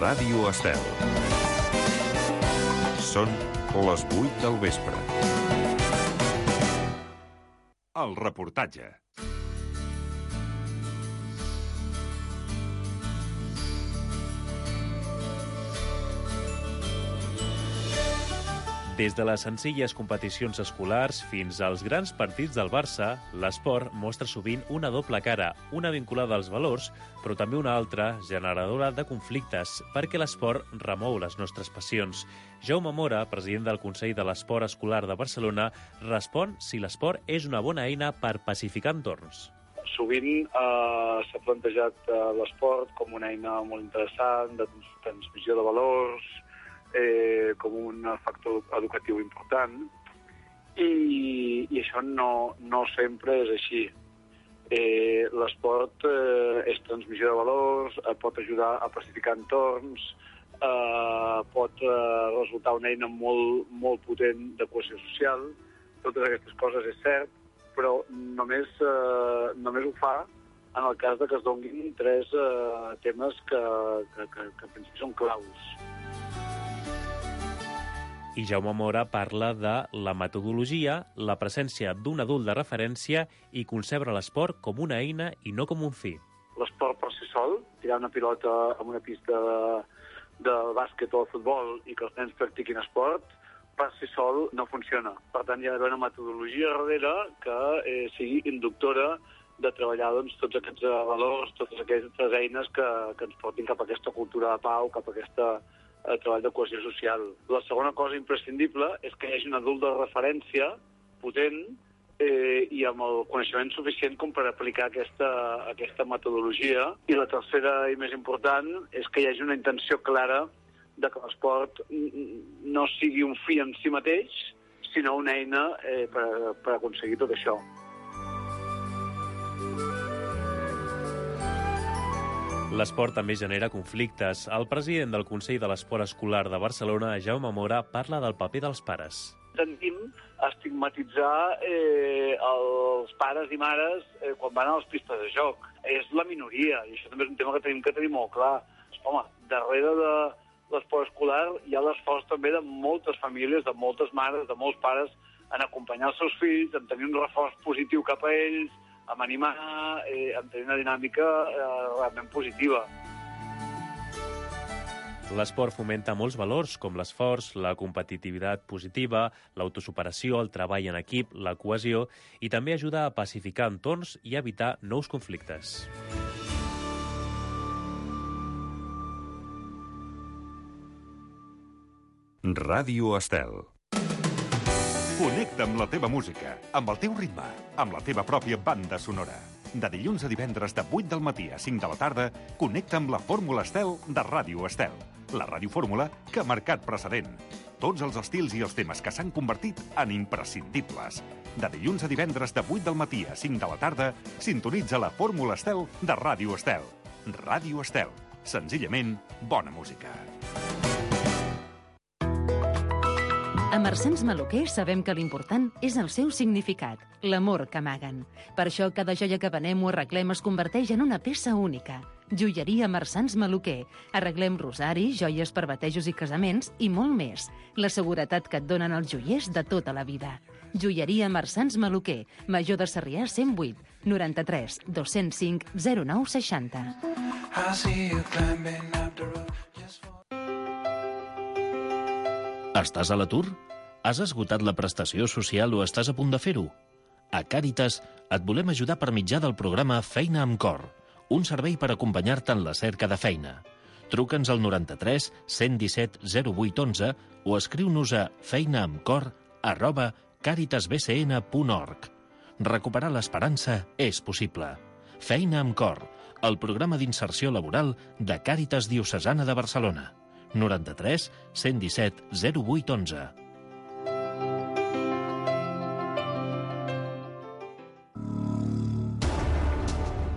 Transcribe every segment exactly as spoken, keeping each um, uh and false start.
Ràdio Estel. Són les vuit del vespre. El reportatge. Des de les senzilles competicions escolars fins als grans partits del Barça, l'esport mostra sovint una doble cara, una vinculada als valors, però també una altra generadora de conflictes, perquè l'esport remou les nostres passions. Jaume Mora, president del Consell de l'Esport Escolar de Barcelona, respon si l'esport és una bona eina per pacificar entorns. Sovint eh, s'ha plantejat eh, l'esport com una eina molt interessant de transmissió de valors, Eh, com un factor educatiu important i, i això no, no sempre és així. Eh, l'esport eh, és transmissió de valors, eh, pot ajudar a pacificar entorns, eh, pot eh, resultar una eina molt, molt potent de cohesió social. Totes aquestes coses és cert, però només, eh, només ho fa en el cas de que es donguin tres eh, temes que, que, que, que penso que són claus. I Jaume Mora parla de la metodologia, la presència d'un adult de referència i concebre l'esport com una eina i no com un fi. L'esport per si sol, tirar una pilota en una pista de, de bàsquet o de futbol i que els nens practiquin esport, per si sol no funciona. Per tant, hi ha d'haver una metodologia darrere que eh, sigui inductora de treballar doncs, tots aquests valors, totes aquestes eines que, que ens portin cap a aquesta cultura de pau, cap a aquesta el treball de cohesió social. La segona cosa imprescindible és que hi hagi un adult de referència potent eh, i amb el coneixement suficient com per aplicar aquesta, aquesta metodologia. I la tercera i més important és que hi hagi una intenció clara de que l'esport no sigui un fi en si mateix, sinó una eina eh, per, per aconseguir tot això. L'esport també genera conflictes. El president del Consell de l'Esport Escolar de Barcelona, Jaume Mora, parla del paper dels pares. Tendim a estigmatitzar eh, els pares i mares eh, quan van a les pistes de joc. És la minoria, i això també és un tema que tenim que tenir molt clar. Home, darrere de l'esport escolar hi ha l'esforç també de moltes famílies, de moltes mares, de molts pares, en acompanyar els seus fills, en tenir un reforç positiu cap a ells, amb animar, eh, amb tenir una dinàmica eh, realment positiva. L'esport fomenta molts valors, com l'esforç, la competitivitat positiva, l'autosuperació, el treball en equip, la cohesió, i també ajuda a pacificar entorns i evitar nous conflictes. Ràdio Estel. Connecta amb la teva música, amb el teu ritme, amb la teva pròpia banda sonora. De dilluns a divendres de vuit del matí a cinc de la tarda, connecta amb la Fórmula Estel de Ràdio Estel, la radiofórmula que ha marcat precedent. Tots els estils i els temes que s'han convertit en imprescindibles. De dilluns a divendres de vuit del matí a cinc de la tarda, sintonitza la Fórmula Estel de Ràdio Estel. Ràdio Estel. Senzillament, bona música. A Marsans Maluquer sabem que l'important és el seu significat, l'amor que amaguen. Per això cada joia que venem o arreglem es converteix en una peça única. Joieria Marsans Maluquer. Arreglem rosaris, joies per batejos i casaments i molt més. La seguretat que et donen els joiers de tota la vida. Joieria Marsans Maluquer. Major de Sarrià cent vuit, noranta-tres, dos-cents cinc, zero nou seixanta. Estàs a l'atur? Has esgotat la prestació social o estàs a punt de fer-ho? A Càritas et volem ajudar per mitjà del programa Feina amb Cor, un servei per acompanyar-te en la cerca de feina. Truca'ns al noranta-tres, cent disset, zero vuit onze o escriu-nos a feinaamcor arroba caritasbcn punt org. Recuperar l'esperança és possible. Feina amb Cor, el programa d'inserció laboral de Càritas Diocesana de Barcelona. noranta-tres, cent disset, zero vuit onze.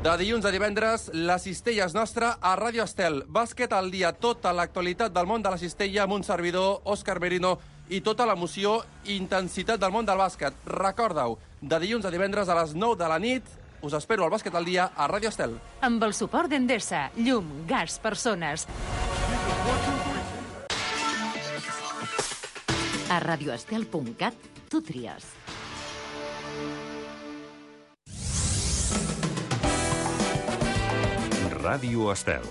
De dilluns a divendres, la cistella és nostra a Ràdio Estel. Bàsquet al dia, tota l'actualitat del món de la cistella amb un servidor, Òscar Merino, i tota l'emoció i intensitat del món del bàsquet. Recorda-ho, de dilluns a divendres a les nou de la nit, us espero al Bàsquet al dia a Ràdio Estel. Amb el suport d'Endesa, llum, gas, persones. A radioestel punt cat tu tries. Ràdio Estel.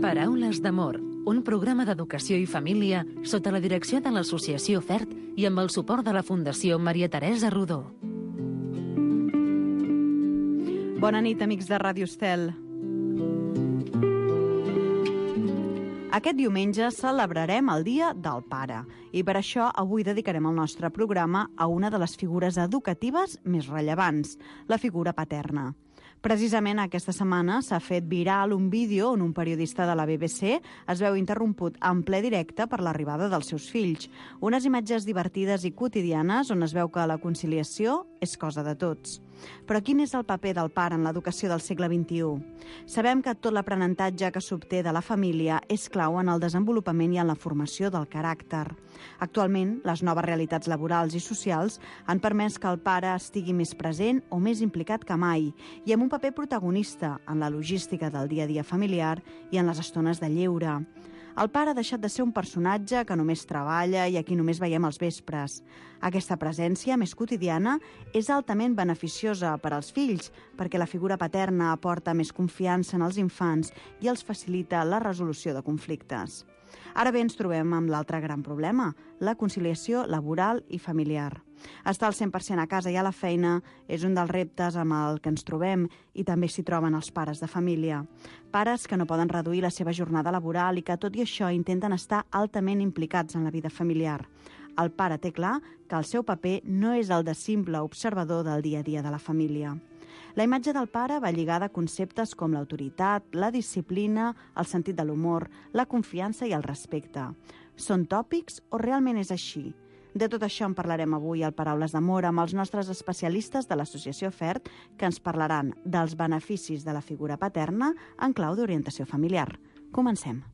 Paraules d'amor, un programa d'educació i família sota la direcció de l'Associació FERT i amb el suport de la Fundació Maria Teresa Rodó. Bona nit, amics de Ràdio Estel. Aquest diumenge celebrarem el Dia del Pare i per això avui dedicarem el nostre programa a una de les figures educatives més rellevants, la figura paterna. Precisament aquesta setmana s'ha fet viral un vídeo on un periodista de la B B C es veu interromput en ple directe per l'arribada dels seus fills. Unes imatges divertides i quotidianes on es veu que la conciliació és cosa de tots. Però quin és el paper del pare en l'educació del segle vint-i-u? Sabem que tot l'aprenentatge que s'obté de la família és clau en el desenvolupament i en la formació del caràcter. Actualment, les noves realitats laborals i socials han permès que el pare estigui més present o més implicat que mai i amb un paper protagonista en la logística del dia a dia familiar i en les estones de lleure. El pare ha deixat de ser un personatge que només treballa i a qui només veiem als vespres. Aquesta presència més quotidiana és altament beneficiosa per als fills perquè la figura paterna aporta més confiança en els infants i els facilita la resolució de conflictes. Ara bé, ens trobem amb l'altre gran problema, la conciliació laboral i familiar. Estar al cent per cent a casa i a la feina és un dels reptes amb el que ens trobem i també s'hi troben els pares de família. Pares que no poden reduir la seva jornada laboral i que, tot i això, intenten estar altament implicats en la vida familiar. El pare té clar que el seu paper no és el de simple observador del dia a dia de la família. La imatge del pare va lligada a conceptes com l'autoritat, la disciplina, el sentit de l'humor, la confiança i el respecte. Són tòpics o realment és així? De tot això en parlarem avui al Paraules d'Amor amb els nostres especialistes de l'Associació FERT que ens parlaran dels beneficis de la figura paterna en clau d'orientació familiar. Comencem.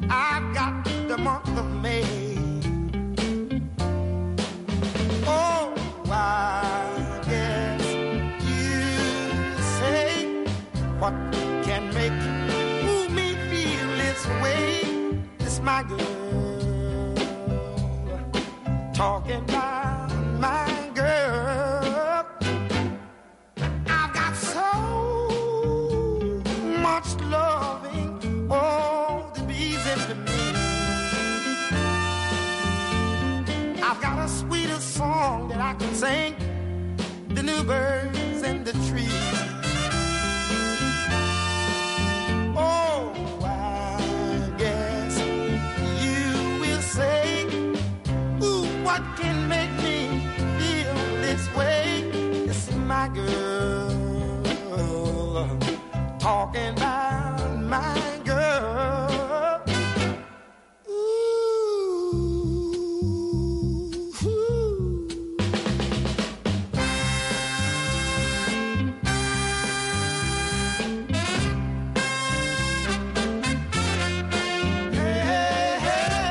I've got the month of May. Oh, I guess you say what can make me feel this way. This my girl talking about my girl. I've got so much love. Oh, the reason for me. I've got a sweeter song that I can sing than the birds in the trees. Oh, I guess you will say, ooh, what can make me feel this way? It's my girl talking about my girl. Ooh, ooh. Hey, hey, hey.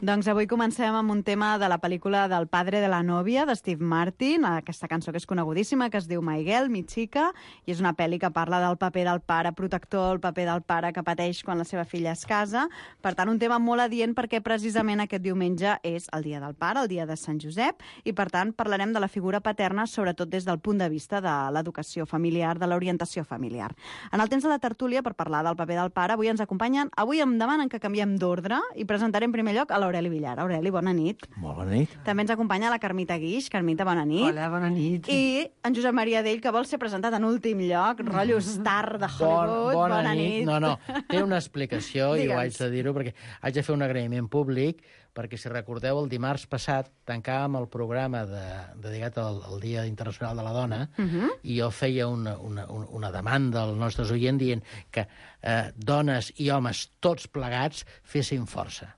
Doncs avui comencem amb un tema de la pel·lícula del padre de la novia, de Steve Martin, aquesta cançó que és conegudíssima, que es diu My Girl, Mi Chica, i és una pel·li que parla del paper del pare protector, el paper del pare que pateix quan la seva filla es casa. Per tant, un tema molt adient perquè precisament aquest diumenge és el dia del pare, el dia de Sant Josep, i per tant parlarem de la figura paterna, sobretot des del punt de vista de l'educació familiar, de l'orientació familiar. En el temps de la tertúlia, per parlar del paper del pare, avui ens acompanyen, avui em demanen que canviem d'ordre i presentaré en primer lloc a l'Aureli Villar. Aureli, bona nit. Molt bona nit. També ens acompanya la Carmita Guix. Carmita, bona nit. Hola, bona nit. I en Josep Maria Dell, que vol ser presentat en últim lloc, rotllo star de Hollywood. Bon, bona, bona nit. nit. No, no, té una explicació i ho haig de dir-ho perquè haig de fer un agraïment públic perquè, si recordeu, el dimarts passat tancàvem el programa de, dedicat al, al Dia Internacional de la Dona uh -huh. i jo feia una, una, una demanda als nostres oients dient que eh, dones i homes tots plegats fessin força.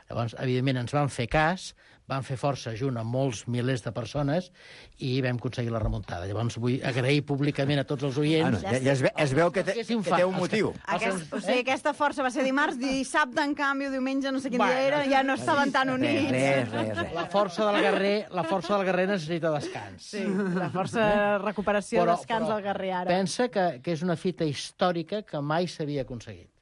Llavors, evidentment, ens van fer cas, van fer força junt amb molts milers de persones i vam aconseguir la remuntada. Llavors, vull agrair públicament a tots els oients... Ah, no, ja, ja es, ve, es veu que, te, que té un motiu. Aquest, o sigui, aquesta força va ser dimarts, dissabte, en canvi, diumenge, no sé quin dia era, ja no estaven tan units. Res, res, res. La força del guerrer, la força del guerrer necessita descans. Sí, la força de recuperació, però, descans però, del guerrer ara. Pensa que, que és una fita històrica que mai s'havia aconseguit.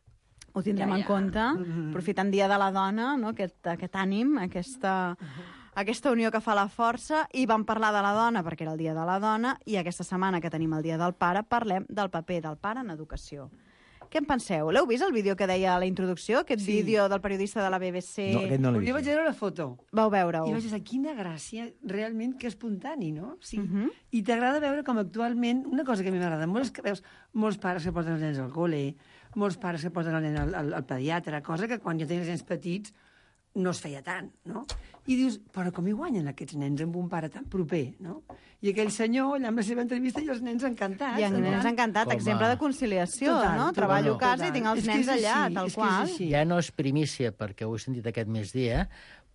Ho tindrem ja, ja. en compte, aprofitant Dia de la Dona, no? aquest, aquest ànim, aquesta, aquesta unió que fa la força, i vam parlar de la dona perquè era el Dia de la Dona, i aquesta setmana que tenim el Dia del Pare parlem del paper del pare en educació. Què en penseu? L'heu vist, el vídeo que deia a la introducció? Aquest sí. vídeo del periodista de la B B C? No, aquest no l'he vist. Jo vaig veure la foto. Vau veure-ho. I vaig dir, quina gràcia, realment, que espontani, no? Sí. Uh -huh. I t'agrada veure com actualment, una cosa que a mi m'agrada molt és que veus molts pares que porten els nens al col·le, molts pares que porten el nen al, al, al pediatre, cosa que quan jo tenia els nens petits no es feia tant, no? I dius, però com hi guanyen aquests nens amb un pare tan proper, no? I aquell senyor, allà amb la seva entrevista, i els nens encantats. I els nens encantats, Com exemple a... de conciliació, total, no? Total, Treballo a casa total. i tinc els És nens allà, així, tal és qual. Ja no és primícia, perquè ho he sentit aquest migdia,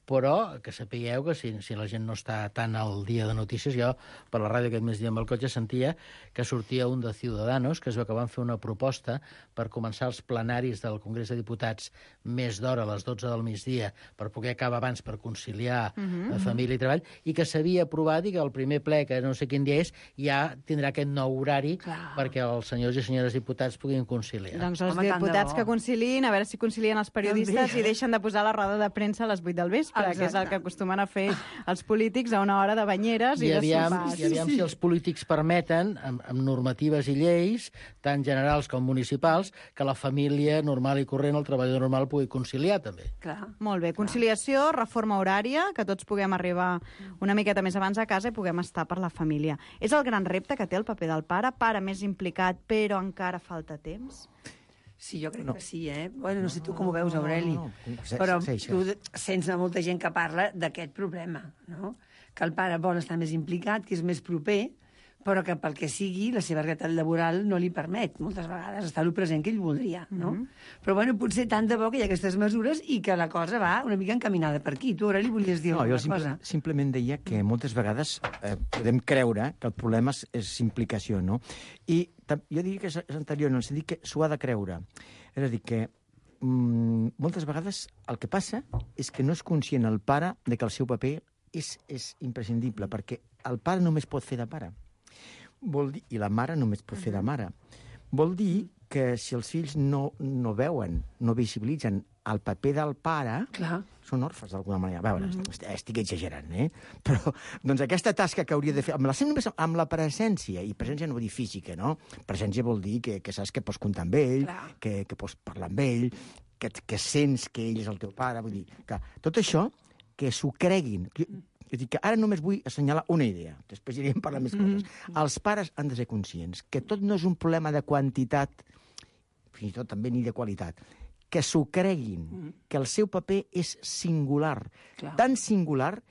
però que sapigueu que si, si la gent no està tan al dia de notícies, jo per la ràdio aquest migdia amb el cotxe sentia que sortia un de Ciudadanos, que es veu que van fer una proposta per començar els plenaris del Congrés de Diputats més d'hora, a les dotze del migdia, per poder acabar abans per conciliar uh -huh. la família i treball, i que s'havia aprovat i que el primer ple, que no sé quin dia és, ja tindrà aquest nou horari Clar. perquè els senyors i senyores diputats puguin conciliar. Doncs els Home, diputats que conciliïn, a veure si concilien els periodistes i deixen de posar la roda de premsa a les vuit del vespre, Exacte. que és el que acostumen a fer els polítics a una hora de banyeres i, I de aviam, sopars. I aviam si els polítics permeten, amb, amb normatives i lleis, tant generals com municipals, que la família normal i corrent, el treballador normal, pugui conciliar, també. Clar. Molt bé. Conciliació, reforma horària, que tots puguem arribar una miqueta més abans a casa i puguem estar per la família. És el gran repte que té el paper del pare, pare més implicat, però encara falta temps? Sí, jo crec No. que sí, eh? Bueno, no sé tu com ho veus, Aureli, no, no, no. però Sí, sí, tu sents molta gent que parla d'aquest problema, no? Que el pare vol estar més implicat, que és més proper, però que pel que sigui la seva realitat laboral no li permet moltes vegades estar lo present que ell voldria, no? Mm -hmm. Però bueno, potser tant de bo que hi ha aquestes mesures i que la cosa va una mica encaminada per aquí. Tu, Aureli, volies dir no, alguna jo simple, cosa? simplement deia que moltes vegades eh, podem creure que el problema és, és implicació, no? I jo diria que és, és anterior, en el sentit que s'ho ha de creure. És a dir, que mm, moltes vegades el que passa és que no és conscient el pare de que el seu paper és, és imprescindible, perquè el pare només pot fer de pare. Vol dir, i la mare només pot fer de mare. Vol dir que si els fills no, no veuen, no visibilitzen el paper del pare, Clar. són orfes d'alguna manera. A veure, mm -hmm. estic exagerant, eh? Però, doncs, aquesta tasca que hauria de fer, amb la, només amb la presència, i presència no vol dir física, no? Presència vol dir que, que saps que pots comptar amb ell, que, que pots parlar amb ell, que, que sents que ell és el teu pare, vull dir, que tot això, que s'ho creguin. Jo, jo dic que ara només vull assenyalar una idea, després anirem a parlar més coses. Mm -hmm. Els pares han de ser conscients que tot no és un problema de quantitat, fins i tot també ni de qualitat, que s'ho creguin, mm. que el seu paper és singular, Clar. tan singular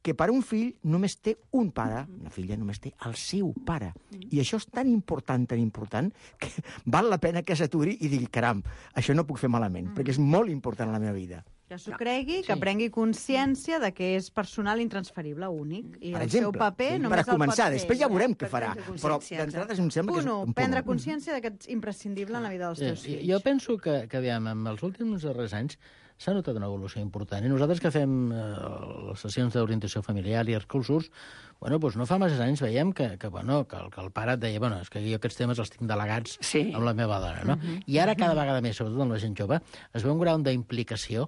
que per un fill només té un pare, mm. una filla només té el seu pare. Mm. I això és tan important, tan important, que val la pena que s'aturi i digui, caram, això no puc fer malament, mm. perquè és molt important en la meva vida. Que s'ho cregui, que sí. prengui consciència de que és personal intransferible, únic, i per el exemple, seu paper sí, només per a començar, el pot fer. després ja veurem què farà, però d'entrada em sembla que és Uno, un punt. prendre consciència de que ets imprescindible en la vida dels teus Sí, fills. jo penso que, que aviam, en els últims darrers anys s'ha notat una evolució important. I nosaltres que fem eh, les sessions d'orientació familiar i els cursos, bueno, doncs no fa massa anys veiem que, que, bueno, que, el, que el pare et deia bueno, és que jo aquests temes els tinc delegats sí. amb la meva dona, no? Uh-huh. I ara cada vegada més, sobretot amb la gent jove, es veu un grau d'implicació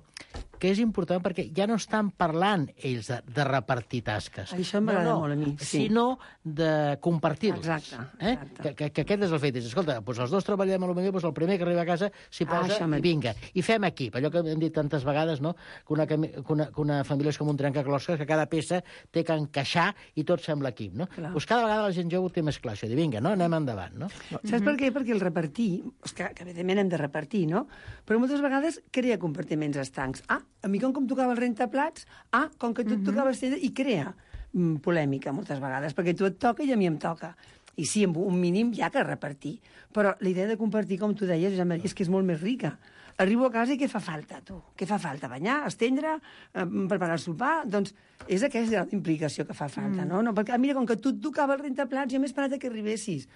que és important perquè ja no estan parlant ells de, de repartir tasques. Això m'agrada no, no, molt a mi. Sí. Sinó de compartir-los. Exacte. Eh? exacte. Que, que, que aquest és el fet. Escolta, doncs els dos treballem a lo millor, doncs el primer que arriba a casa s'hi posa ah, i vinga. I fem equip. Allò que hem dit tantes vegades, no? Que una, que una, que una família és com un trencaclosques, que cada peça té que encaixar i tot sembla equip, no? Doncs cada vegada la gent jove ho té més clar, això, de vinga, no? Anem endavant, no? Saps mm-hmm. per què? Perquè el repartir, és que, que evidentment hem de repartir, no? Però moltes vegades crea compartiments estancs. Ah, a mi com que em tocava el rentaplats, ah, com que tu et tocava estendre, i crea mm, polèmica moltes vegades, perquè tu et toca i a mi em toca. I sí, amb un mínim hi ha que repartir. Però la idea de compartir, com tu deies, Josep Maria, és que és molt més rica. Arribo a casa i què fa falta, tu? Què fa falta? Banyar, estendre, eh, preparar el sopar? Doncs és aquesta implicació que fa falta, mm. no? no? Perquè, mira, com que tu et tocava el rentaplats, jo m'he esperat que arribessis.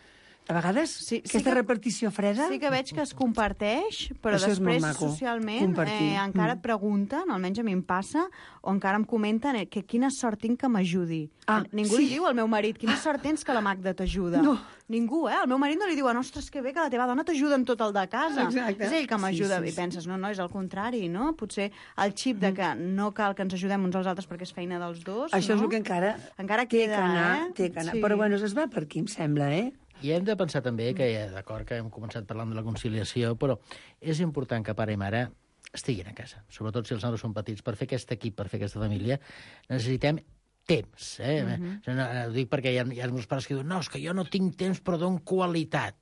A vegades, sí, aquesta sí que, repartició freda... Sí que veig que es comparteix, però això després, socialment, eh, encara et pregunten, almenys a mi em passa, o encara em comenten que quina sort tinc que m'ajudi. Ah, Ningú sí. li diu al meu marit, quina sort tens que la Magda t'ajuda. No. Ningú, eh? El meu marit no li diu, ostres, que bé que la teva dona t'ajuda en tot el de casa. Exacte. És ell que m'ajuda. Sí, sí, sí. I penses, no, no, és al contrari, no? Potser el xip de que no cal que ens ajudem uns als altres perquè és feina dels dos, això no? és el que encara, encara té queda, que anar, eh? té que anar. Sí. Però bueno, es va per aquí, em sembla, eh? I hem de pensar també que, d'acord, que hem començat parlant de la conciliació, però és important que pare i mare estiguin a casa, sobretot si els nanos són petits. Per fer aquest equip, per fer aquesta família, necessitem temps. Eh? Uh-huh. no, ho dic perquè hi ha, hi ha molts pares que diuen no, és que jo no tinc temps, però dono qualitat.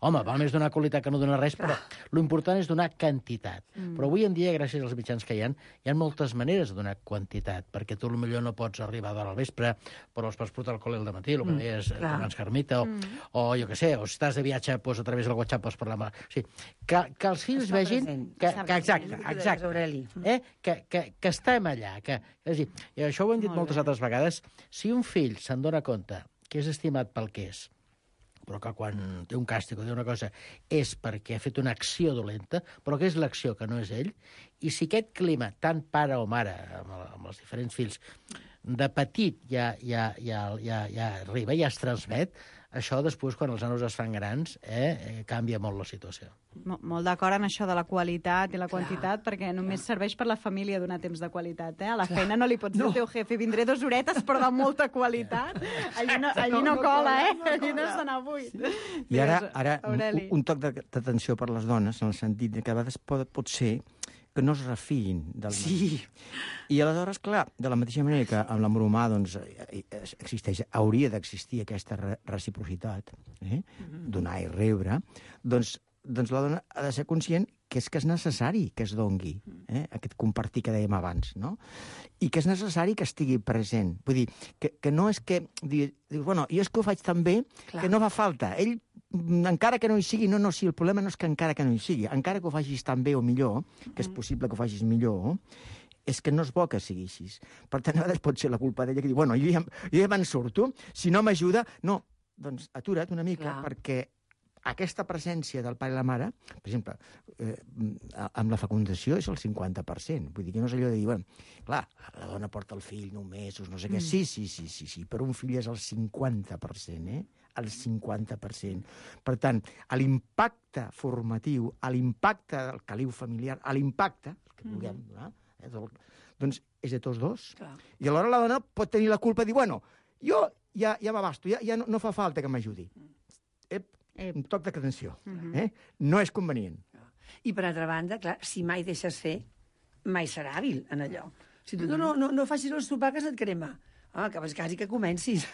Home, val més donar qualitat que no donar res, però l'important és donar quantitat. Mm. Però avui en dia, gràcies als mitjans que hi ha, hi ha moltes maneres de donar quantitat, perquè tu potser no pots arribar d'hora al vespre, però els pots portar al col·le al dematí, el que mm. deies abans, Carmita, o, mm. o jo què sé, o si estàs de viatge, doncs, a través del WhatsApp pots parlar amb... O sigui, que, que els fills està vegin... Que, que, exacte, exacte. Eh? Que, que, que estem allà. Que, és a dir, i això ho hem dit Molt moltes bé. altres vegades, si un fill se'n dona compte que és estimat pel que és, però que quan té un càstig o té una cosa és perquè ha fet una acció dolenta, però que és l'acció que no és ell, i si aquest clima, tant pare o mare, amb, el, amb els diferents fills, de petit ja, ja, ja, ja, ja arriba, ja es transmet, això després, quan els nanos es fan grans, eh, eh, canvia molt la situació. Mol, molt d'acord en això de la qualitat i la quantitat, clar, perquè només clar. serveix per la família donar temps de qualitat. Eh? A la clar. feina no li pots dir no. al teu jefe, vindré dos horetes, però de molta qualitat. Allí no, allí no, no cola, eh? No allí no has d'anar avui. Sí. I ara, ara un, un toc d'atenció per les dones, en el sentit que a vegades pot, pot ser que no es refiïn del marit. Sí. I aleshores, clar, de la mateixa manera que amb l'amor humà doncs, existeix, hauria d'existir aquesta reciprocitat, eh? Mm-hmm. donar i rebre, doncs, doncs la dona ha de ser conscient que és que és necessari que es dongui, eh? aquest compartir que dèiem abans, no? I que és necessari que estigui present. Vull dir, que, que no és que... Dius, bueno, jo és que ho faig tan bé clar. que no fa falta. Ell, encara que no hi sigui, no, no, sí, el problema no és que encara que no hi sigui, encara que ho facis tan bé o millor, que és possible que ho facis millor, és que no és bo que sigui així. Per tant, a vegades pot ser la culpa d'ella que diu, bueno, jo ja, jo ja me'n surto, si no m'ajuda... No, doncs atura't una mica, clar. perquè aquesta presència del pare i la mare, per exemple, eh, amb la fecundació és el cinquanta per cent. Vull dir que no és allò de dir, bueno, clar, la dona porta el fill nou mesos, no sé què. Mm. Sí, sí, sí, sí, sí, però un fill és el cinquanta per cent, eh? El cinquanta per cent. Per tant, a l'impacte formatiu, a l'impacte del caliu familiar, a l'impacte, que vulguem donar, eh, del, doncs és de tots dos. Clar. I alhora la dona pot tenir la culpa de dir, bueno, jo ja, ja m'abasto, ja, ja no, no fa falta que m'ajudi. Ep, un toc d'atenció. Uh-huh. eh? No és convenient. I per altra banda, clar, si mai deixes fer, mai serà hàbil en allò. Si tu uh-huh. no, no, no facis el sopar que se't crema. Ah, que vas quasi que comencis.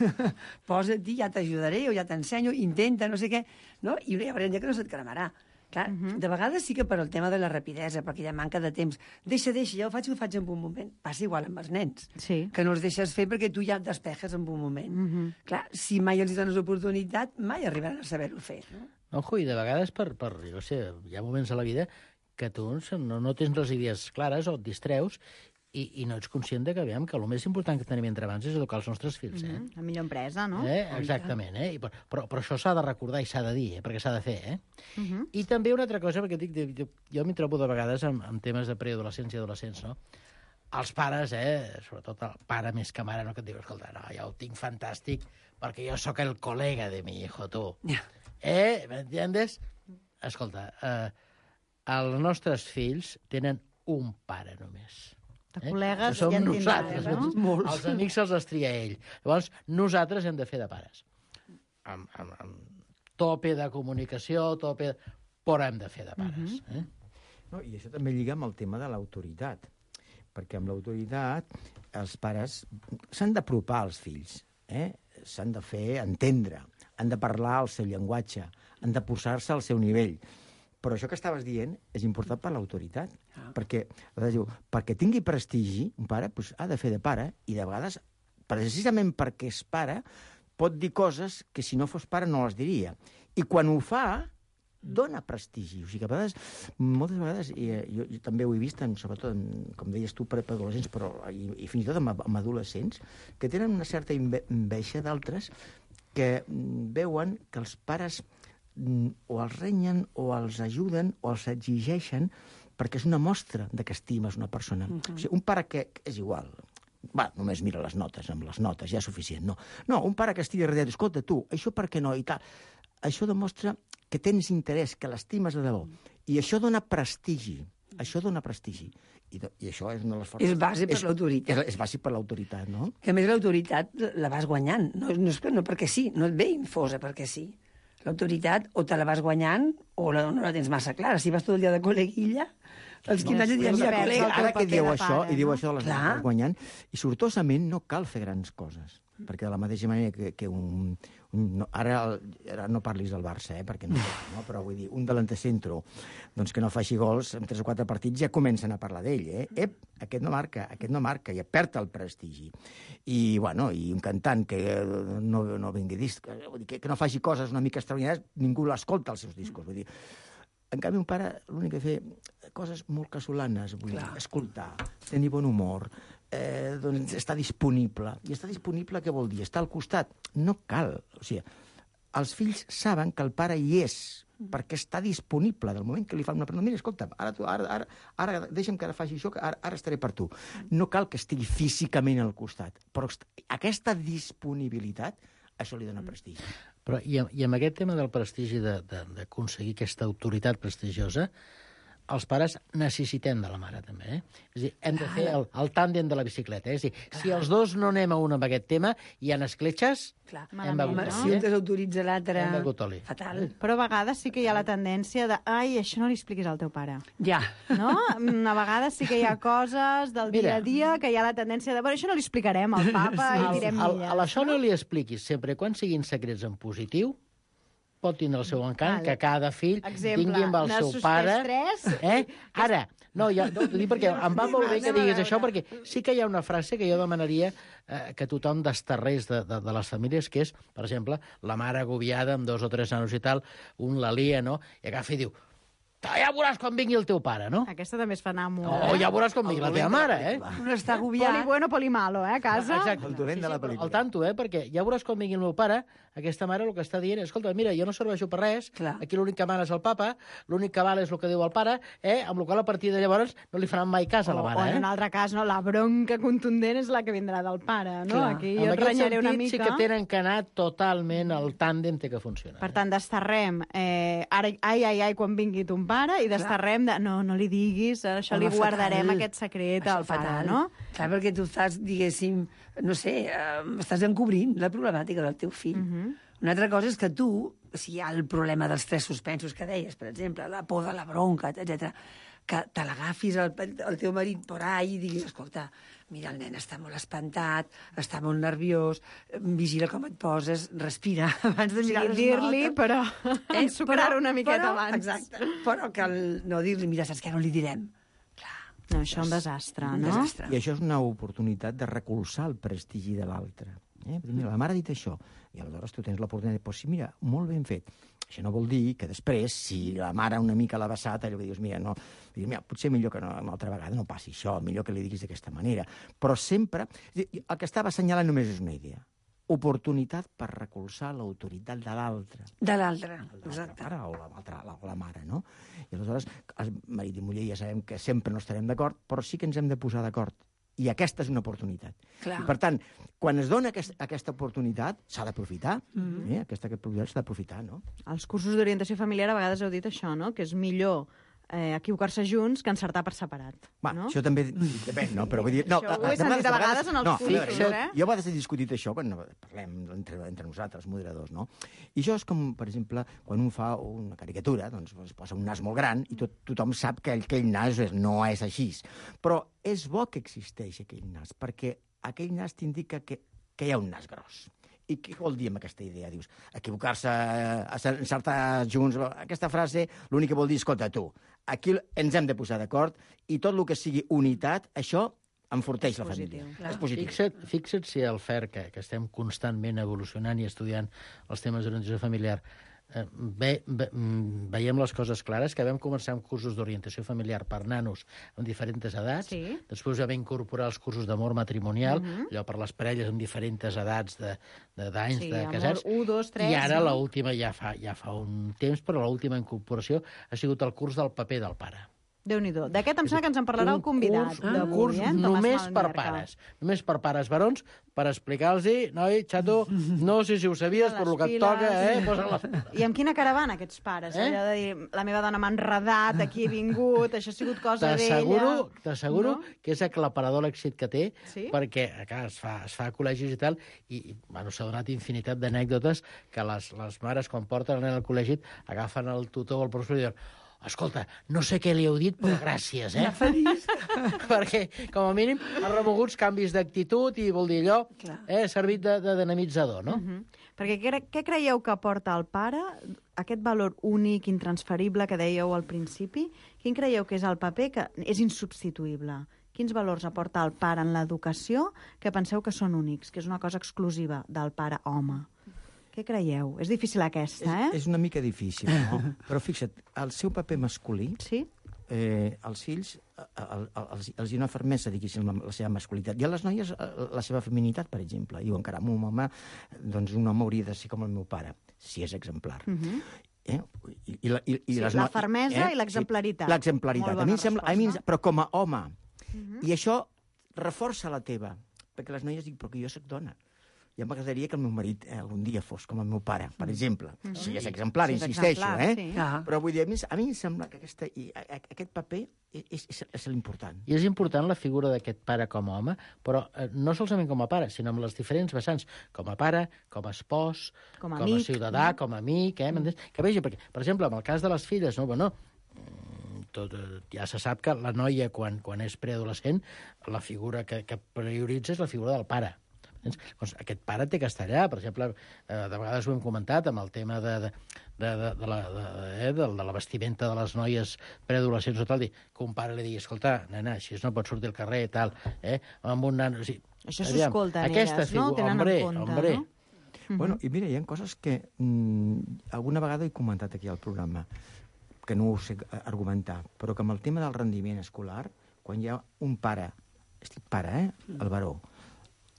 Posa't-hi, ja t'ajudaré, o ja t'ensenyo, intenta, no sé què. No? I hi haurà un dia que no se't cremarà. Clar, uh-huh. de vegades sí que per al tema de la rapidesa, perquè hi ha manca de temps, deixa, deixa, ja ho faig, ho faig en un moment. Passa igual amb els nens, sí. que no els deixes fer perquè tu ja et despejes en un moment. Uh-huh. Clar, si mai els dones oportunitat, mai arribaran a saber-ho fer. No? Ojo, i de vegades, per, per, jo sé, hi ha moments a la vida que tu no, no tens les idees clares o et distreus i, i no ets conscient de que, aviam, que el més important que tenim entre mans és educar els nostres fills, eh? Mm-hmm. La millor empresa, no? Eh? Exactament, eh? I, però, però això s'ha de recordar i s'ha de dir, eh? Perquè s'ha de fer, eh? Mm-hmm. I també una altra cosa, perquè dic, jo, jo m'hi trobo de vegades amb, amb temes de preadolescència i adolescents, no? Els pares, eh? Sobretot el pare més que mare, no? Que et diu, escolta, no, ja ho tinc fantàstic perquè jo sóc el col·lega de mi hijo, tu. Yeah. Eh? M'entiendes? Escolta, eh, els nostres fills tenen un pare només. De col·legues som ja en nosaltres, tindran, no? Els amics se'ls els tria ell. Llavors, nosaltres hem de fer de pares. Amb, amb, amb tope de comunicació, tope... De... però hem de fer de pares. Mhm. eh? No, i això també lliga amb el tema de l'autoritat, perquè amb l'autoritat els pares s'han d'apropar als fills, eh? S'han de fer entendre, han de parlar el seu llenguatge, han de posar-se al seu nivell. Però això que estaves dient és important per l'autoritat, ah. perquè, diu, perquè tingui prestigi, un pare doncs, ha de fer de pare, i de vegades, precisament perquè és pare, pot dir coses que si no fos pare no les diria. I quan ho fa, dona prestigi. O sigui que a vegades, moltes vegades, i jo, jo també ho he vist, en, sobretot, en, com deies tu, per adolescents, però i, i fins i tot amb, amb adolescents, que tenen una certa enveja d'altres que veuen que els pares o els renyen, o els ajuden, o els exigeixen, perquè és una mostra de que estimes una persona. Uh-huh. O sigui, un pare que és igual, va, només mira les notes, amb les notes ja és suficient, no. No, un pare que estigui darrere, escolta, tu, això per què no, i tal. Això demostra que tens interès, que l'estimes de debò. I això dona prestigi. Això dona prestigi. I, de, i això és una de les forces... És base per l'autoritat. És, és base per l'autoritat, no? Que a més l'autoritat la vas guanyant. No, no, és, no perquè sí, no et ve infosa perquè sí. L'autoritat o te la vas guanyant o la, no la tens massa clara. Si vas tot el dia de col·leguilla, els quinze anys et diran, mira, col·lega... Ara que dieu això, pare, i diu no? això de les Clar. vas guanyant, i sortosament no cal fer grans coses. Perquè de la mateixa manera que, que un... un no, ara, ara no parlis del Barça, eh, perquè no, no, però vull dir, un delanter centro doncs que no faci gols en tres o quatre partits ja comencen a parlar d'ell, eh? Ep, aquest no marca, aquest no marca, i perd el prestigi. I, bueno, i un cantant que no, no vingui disc, vull dir, que, que no faci coses una mica extraordinàries, ningú l'escolta als seus discos, vull dir. En canvi, un pare l'únic que fer coses molt casolanes, vull dir, escoltar, tenir bon humor, eh, doncs està disponible. I està disponible què vol dir? Està al costat. No cal. O sigui, els fills saben que el pare hi és, perquè està disponible. Del moment que li fan una pregunta, mira, escolta'm, ara, tu, ara, ara, ara deixa'm que ara faci això, que ara, ara estaré per tu. No cal que estigui físicament al costat, però aquesta disponibilitat, això li dona prestigi. Però, i, I amb aquest tema del prestigi, d'aconseguir aquesta autoritat prestigiosa, els pares necessitem de la mare, també. Eh? És a dir, hem de fer el, el tàndem de la bicicleta. Eh? És a dir, si els dos no anem a un amb aquest tema, hi ha escletxes, Clar. hem begut Home, oli. si un desautoritza l'altre... Hem begut oli. Fatal. Però a vegades sí que hi ha la tendència de ai, això no li expliquis al teu pare. Ja. No? A vegades sí que hi ha coses del Mira. dia a dia que hi ha la tendència de bueno, això no li explicarem al papa Sí. i direm Al, milles. a l'això no li expliquis, sempre quan siguin secrets en positiu, pot tindre el seu encant, Vale. que cada fill Exemple, tingui amb el n'has seu suspès pare... tres? Eh? Ara, no, ja, no, t'ho dic perquè em va molt bé que diguis això, perquè sí que hi ha una frase que jo demanaria eh, que tothom desterrés de, de, de les famílies, que és, per exemple, la mare agobiada amb dos o tres nanos i tal, un la lia, no?, i agafa i diu, ja veuràs quan vingui el teu pare, no? Aquesta també es fa anar molt. O ja veuràs quan vingui la teva mare, eh? Un està Poli agobiat. bueno, poli malo, eh, a casa. Exacte. El dolent de la pel·lícula. Al tanto, eh? Perquè ja veuràs quan vingui el meu pare, aquesta mare el que està dient és, escolta, mira, jo no serveixo per res, Clar. aquí l'únic que mana és el papa, l'únic que val és el que diu el pare, eh? Amb la qual a partir de llavors no li faran mai cas a la O, o mare, en eh? un altre cas, no, la bronca contundent és la que vindrà del pare, no? Clar. Aquí En jo et aquest renyaré una sentit mica. sí que tenen que anar totalment al tàndem té que funcionar. Per tant, desterrem eh, ara, ai, ai, ai, quan vingui ton pare, i desterrem de, no, no li diguis, això Home, li guardarem fatal. aquest secret Això al pare, fatal. no? Clar, perquè tu estàs, diguéssim, no sé, eh, estàs encobrint la problemàtica del teu fill. Uh -huh. Una altra cosa és que tu, si hi ha el problema dels tres suspensos que deies, per exemple, la por de la bronca, etcètera, que te l'agafis al, al teu marit por ahí i diguis, escolta, mira, el nen està molt espantat, està molt nerviós, vigila com et poses, respira abans de O sigui, mirar les dir-li, notes. però Eh, ensucrar una miqueta però, abans. Exacte, però que el, no dir-li, mira, saps què, no li direm. No, això és un desastre, Un no? desastre. I això és una oportunitat de recolzar el prestigi de l'altre. Eh? Mira, la mare ha dit això, i aleshores tu tens l'oportunitat de dir, pues sí, mira, molt ben fet. Això no vol dir que després, si la mare una mica l'ha vessat, allò que dius, mira, no, dius, mira, potser millor que no, una altra vegada no passi això, millor que li diguis d'aquesta manera. Però sempre... El que estava assenyalant només és una idea. Oportunitat per recolzar l'autoritat de l'altre. De l'altre, exacte. Pare o la, la, o la mare, no? I aleshores, el marit i muller ja sabem que sempre no estarem d'acord, però sí que ens hem de posar d'acord. I aquesta és una oportunitat. Clar. I, per tant, quan es dona aquest, aquesta oportunitat, s'ha d'aprofitar. Mm-hmm. eh? Aquesta oportunitat s'ha d'aprofitar, no? Als cursos d'orientació familiar a vegades heu dit això, no? Que és millor eh, equivocar-se junts que encertar per separat. Va, no? això també depèn, no? Però vull dir... No, Això ho he sentit a vegades en els no, cursos, jo, eh? Jo a vegades he discutit això quan parlem entre, entre nosaltres, moderadors, no? I això és com, per exemple, quan un fa una caricatura, doncs es posa un nas molt gran i tot, tothom sap que aquell nas no és així. Però és bo que existeix aquell nas, perquè aquell nas t'indica que, que hi ha un nas gros. I què vol dir amb aquesta idea? Dius, equivocar-se, encertar junts... Aquesta frase l'únic que vol dir, escolta, tu, aquí ens hem de posar d'acord i tot el que sigui unitat, això enforteix la família. Clar. És positiu. Fixa't, fixa't si el F E R, que, que estem constantment evolucionant i estudiant els temes d'orientació familiar, eh, ve, ve, veiem les coses clares, que vam començar amb cursos d'orientació familiar per nanos amb diferents edats, Sí. després vam incorporar els cursos d'amor matrimonial, Mhm. allò per les parelles amb diferents edats de, de, d'anys Sí, de amor casats, u, dos, tres, i ara no? l'última ja fa, ja fa un temps, però l'última incorporació ha sigut el curs del paper del pare. Déu-n'hi-do. D'aquest em sembla que ens en parlarà el convidat Un d'avui, curs eh? Tomàs només per Malmerca. pares. Només per pares varons, per explicar-los, noi, xato, no sé si ho sabies, però el que et piles. toca, eh? Posa les... I amb quina cara van aquests pares? Eh? Allò de dir, la meva dona m'ha enredat, aquí he vingut, això ha sigut cosa d'ella... T'asseguro, t'asseguro No? que és aclaparador l'èxit que té, Sí? perquè clar, es, fa, es fa a col·legis i tal, i i, bueno, s'ha donat infinitat d'anècdotes que les, les mares, quan porten el nen al col·legi, agafen el tutor o el professor i diuen, escolta, no sé què li heu dit, però gràcies, eh? Perquè, com a mínim, ha remogut canvis d'actitud i vol dir allò, eh, ha servit de, de dinamitzador, no? Uh -huh. Perquè què, què creieu que aporta el pare, aquest valor únic, intransferible que dèieu al principi? Quin creieu que és el paper que és insubstituïble? Quins valors aporta el pare en l'educació que penseu que són únics, que és una cosa exclusiva del pare home? Què creieu? És difícil aquesta, eh? És, és una mica difícil, no? Però fixa't, el seu paper masculí, sí? eh, els fills el, el, els, els hi no fermesa, diguéssim, la, la seva masculinitat. I a les noies, la seva feminitat, per exemple. Diuen, caram, un home, doncs un home hauria de ser com el meu pare, si és exemplar. Uh -huh. Eh? I, i, i, i Sí, les la no... fermesa i l'exemplaritat. Sí, l'exemplaritat. Molt A mi bona em sembla, a mi, em- resposta. però com a home. Uh -huh. I això reforça la teva. Perquè les noies diuen, però que jo soc dona. Ja m'agradaria que el meu marit eh, algun dia fos com el meu pare, per exemple. Mm. Si és exemplar, Si és insisteixo, exemplar, eh? sí. Ah. Però vull dir, a mi, a mi em sembla que aquesta, i, a, a, aquest paper és, és, és l'important. I és important la figura d'aquest pare com a home, però eh, no solament com a pare, sinó amb les diferents vessants, com a pare, com a espòs, Com a com amic, a ciutadà, no? com a amic, eh? Mm. Que vegi, perquè, per exemple, en el cas de les filles, no, bueno, tot, eh, ja se sap que la noia, quan, quan és preadolescent, la figura que, que prioritza és la figura del pare. Doncs aquest pare té que estar allà. Per exemple, eh, de vegades ho hem comentat amb el tema de, de, de, de, de, la, de, eh, de, de la vestimenta de les noies preadolescents o tal, dir, que un pare li digui, escolta, nena, així no pots sortir al carrer i tal, eh? Amb un nano... O sigui, Això aviam, s'escolta en aquesta elles, no? figu- Tenen hombre, en compte, hombre. no? Uh-huh. Bueno, i mira, hi ha coses que mm, alguna vegada he comentat aquí al programa, que no ho sé argumentar, però que amb el tema del rendiment escolar, quan hi ha un pare, estic pare, eh, el baró,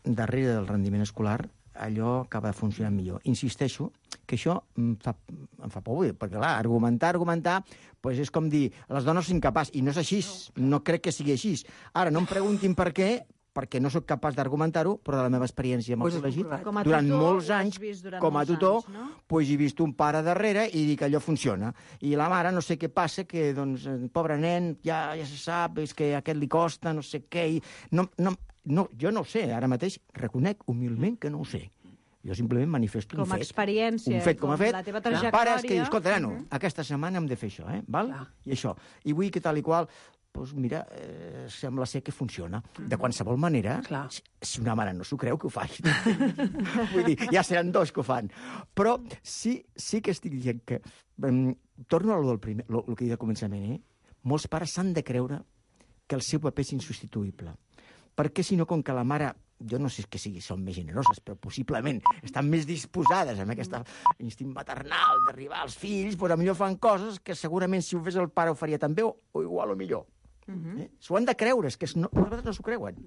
darrere del rendiment escolar, allò acaba de funcionar millor. Insisteixo que això em fa, em fa por, perquè, clar, argumentar, argumentar, doncs és com dir, les dones són incapaç, i no és així, no crec que sigui així. Ara, no em preguntin per què, perquè no sóc capaç d'argumentar-ho, però de la meva experiència amb el Pues és col·legi, correcte. Com a durant tutor, molts ho has anys, vist durant com a molts tutor, anys, no? pues he vist un pare darrere i dic que allò funciona. I la mare no sé què passa, que, doncs, el pobre nen, ja, ja se sap, és que a aquest li costa, no sé què, i no, no, no, jo no ho sé, ara mateix reconec humilment que no ho sé. Jo simplement manifesto Com un a fet. experiència, un fet com, com a fet. la teva Pares que trajectòria. dius, escolta, nano, Mhm. aquesta setmana hem de fer això, eh? Val? Clar. I això. I vull que tal i qual, doncs mira, eh, sembla ser que funciona. De qualsevol manera, Clar. si, si una mare no s'ho creu, que ho faci. Vull dir, ja seran dos que ho fan. Però sí, sí que estic dient que... Um, torno a lo del primer, lo, lo que he dit al començament, eh? Molts pares s'han de creure que el seu paper és insubstituïble. Perquè, si no, com que la mare jo no sé que sigui, són més generoses, però possiblement estan més disposades amb aquest instint maternal d'arribar als fills, doncs millor fan coses que segurament si ho fes el pare ho faria també, o, o igual o millor. Uh-huh. eh? S'ho han de creure, és que no, nosaltres no s'ho creuen.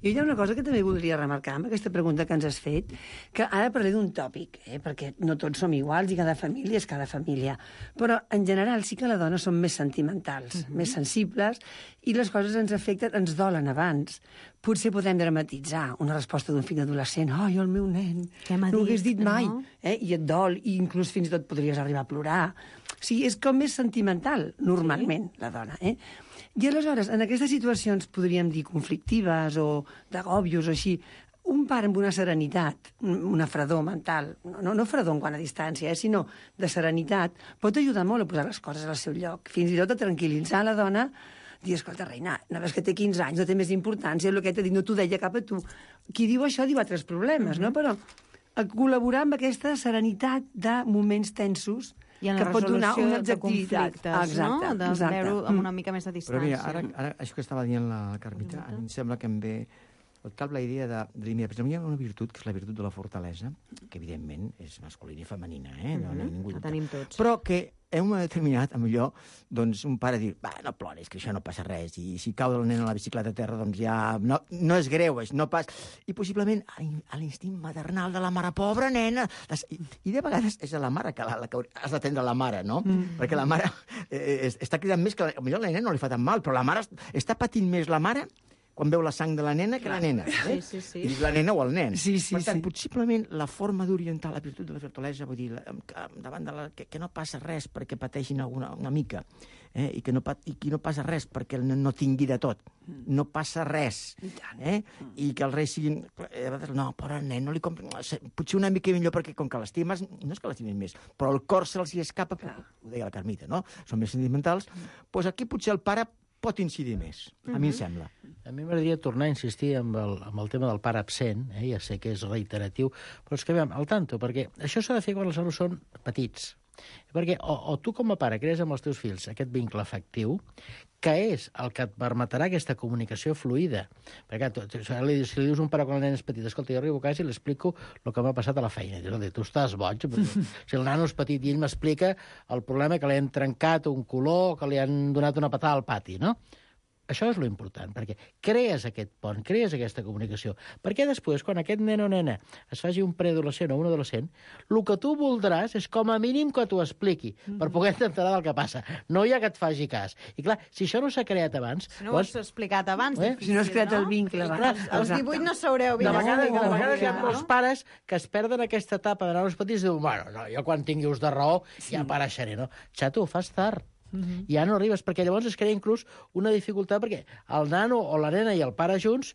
Jo hi ha una cosa que també voldria remarcar amb aquesta pregunta que ens has fet, que ara parlé d'un tòpic, eh? perquè no tots som iguals i cada família és cada família, però en general sí que les dones són més sentimentals, uh-huh. més sensibles, i les coses ens afecten, ens dolen abans. Potser podem dramatitzar una resposta d'un fill adolescent, ai, el meu nen, no ho hagués dit mai, no? eh? i et dol, i inclús fins i tot podries arribar a plorar. O sigui, és com més sentimental, normalment, sí. la dona, eh? I aleshores, en aquestes situacions, podríem dir conflictives o d'agòbios o així, un pare amb una serenitat, una fredor mental, no, no fredor en quant a distància, eh, sinó de serenitat, pot ajudar molt a posar les coses al seu lloc, fins i tot a tranquil·litzar la dona, dir, escolta, reina, no ves que té quinze anys, no té més importància, el que t'ha dit no t'ho deia cap a tu. Qui diu això diu altres problemes, no? Però a col·laborar amb aquesta serenitat de moments tensos i en que la pot donar una resolució de objectivitat. conflictes, exacte, no? De exacte. veure amb una mica més de distància. Però mira, ara, ara això que estava dient la Carmita, a mi em sembla que em ve al cap la idea de, de dir, mira, per exemple, hi ha una virtut, que és la virtut de la fortalesa, que evidentment és masculina i femenina, eh? No, no, ningú la tenim tots. Però que en un moment determinat, millor, doncs un pare diu, va, no ploris, que això no passa res, i si cau el nen a la bicicleta a terra, doncs ja no, no és greu, no pas... I possiblement a l'instint maternal de la mare, pobra nena, i, i de vegades és a la mare que, la, la, que has d'atendre la mare, no? Mm. Perquè la mare eh, està cridant més que... Potser la nena no li fa tan mal, però la mare està patint més la mare quan veu la sang de la nena que la nena. Eh? Sí, sí, sí. I la nena o el nen. Sí, sí, per tant, sí. possiblement la forma d'orientar la virtut de la fortalesa, vull dir, la, davant de la, que, que no passa res perquè pateixin alguna, una mica, eh? I que no, i que no passa res perquè el nen no tingui de tot. No passa res. Eh? I que els reis siguin... Eh, no, però el nen no li compra... Potser una mica millor perquè com que l'estimes, no és que l'estimis més, però el cor se'ls hi escapa, ho deia la Carmita, no? Són més sentimentals. Doncs aquí potser el pare pot incidir més, a mi em sembla. A mi m'agradaria tornar a insistir amb el, amb el tema del pare absent, eh? Ja sé que és reiteratiu, però és que, veiem, al tanto, perquè això s'ha de fer quan els alumnes són petits. Perquè o, o tu com a pare crees amb els teus fills aquest vincle afectiu, que és el que et permetrà aquesta comunicació fluida. Perquè tu, tu, si li dius a un pare quan el nen és petit, escolta, jo arribo a casa i li explico el que m'ha passat a la feina. I dius, tu estàs boig. Si el nano és petit i ell m'explica el problema que li han trencat un color o que li han donat una patada al pati, no? Això és lo important, perquè crees aquest pont, crees aquesta comunicació. Perquè després, quan aquest nen o nena es faci un preadolescent o un adolescent, el que tu voldràs és com a mínim que t'ho expliqui, mm-hmm. per poder enterar del que passa. No hi ha que et faci cas. I clar, si això no s'ha creat abans... Si no ho has explicat abans... Eh? Si no has creat el vincle abans... Als divuit no sabreu de vegades, com... de vegades hi ha molts pares que es perden aquesta etapa d'anar als petits i diuen, bueno, no, jo quan tingui ús de raó sí. ja apareixeré, no? Xato, ho fas tard. Uh-huh. Ja no arribes, perquè llavors es crea inclús una dificultat, perquè el nano o la nena i el pare junts,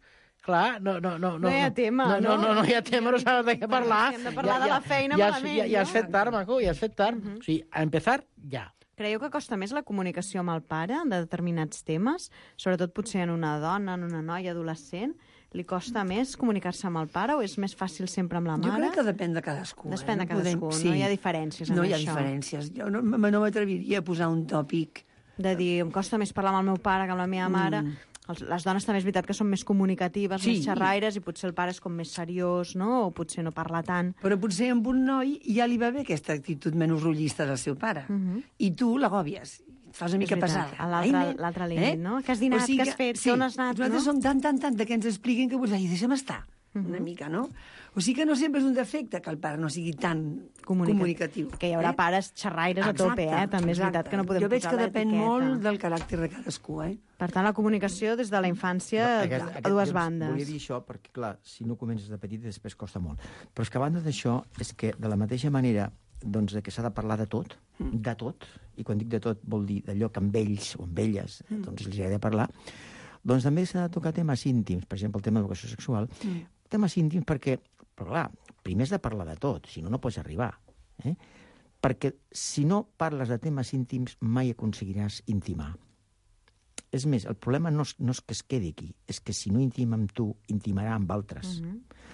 clar, no... No, no, no hi ha tema, no? No, no, no, no hi ha tema, no saben de què parlar. Hem de parlar ja, de la feina ja, malament. Ja, ja, ja has fet tard, maco, ja has fet tard. Uh-huh. O sigui, a empezar, ja. Creieu que costa més la comunicació amb el pare de determinats temes? Sobretot potser en una dona, en una noia adolescent? Li costa més comunicar-se amb el pare o és més fàcil sempre amb la mare? Jo crec que depèn de cadascú. Depèn eh? de cadascú, Podem... sí. No hi ha diferències en no això. No hi ha diferències. Jo no, no m'atreviria a posar un tòpic. De dir, em costa més parlar amb el meu pare que amb la meva mare. Mm. Els, les dones també és veritat que són més comunicatives, sí. més xerraires, i potser el pare és com més seriós, no? O potser no parla tant. Però potser amb un noi ja li va bé aquesta actitud menys rotllista del seu pare. Uh-huh. I tu l'agòbies. Fas una mica pesada. A l'altre límit, eh? No? Que has dinat, o sigui que, que has fet, sí, que on has anat, nosaltres no? som tant, tant, tant de que ens expliquen que vols dir, deixa'm estar, uh-huh. una mica, no? O sigui que no sempre és un defecte que el pare no sigui tan comunicatiu. comunicatiu que hi haurà eh? pares xerraires exacte, a tope, eh? També és veritat que no podem jo veig posar que depèn l'etiqueta. molt del caràcter de cadascú, eh? Per tant, la comunicació des de la infància no, aquest, a dues aquest, bandes. Volia dir això perquè, clar, si no comences de petit després costa molt. Però és que a banda d'això és que de la mateixa manera doncs, que s'ha de parlar de tot, mm. de tot, i quan dic de tot vol dir d'allò que amb ells o amb elles mm. doncs els ha de parlar, doncs també s'ha de tocar temes íntims, per exemple, el tema d'educació sexual, mm. temes íntims perquè, però clar, primer has de parlar de tot, si no, no pots arribar. Eh? Perquè si no parles de temes íntims mai aconseguiràs intimar. És més, el problema no és, no és que es quedi aquí, és que si no intima amb tu, intimarà amb altres. Mm-hmm.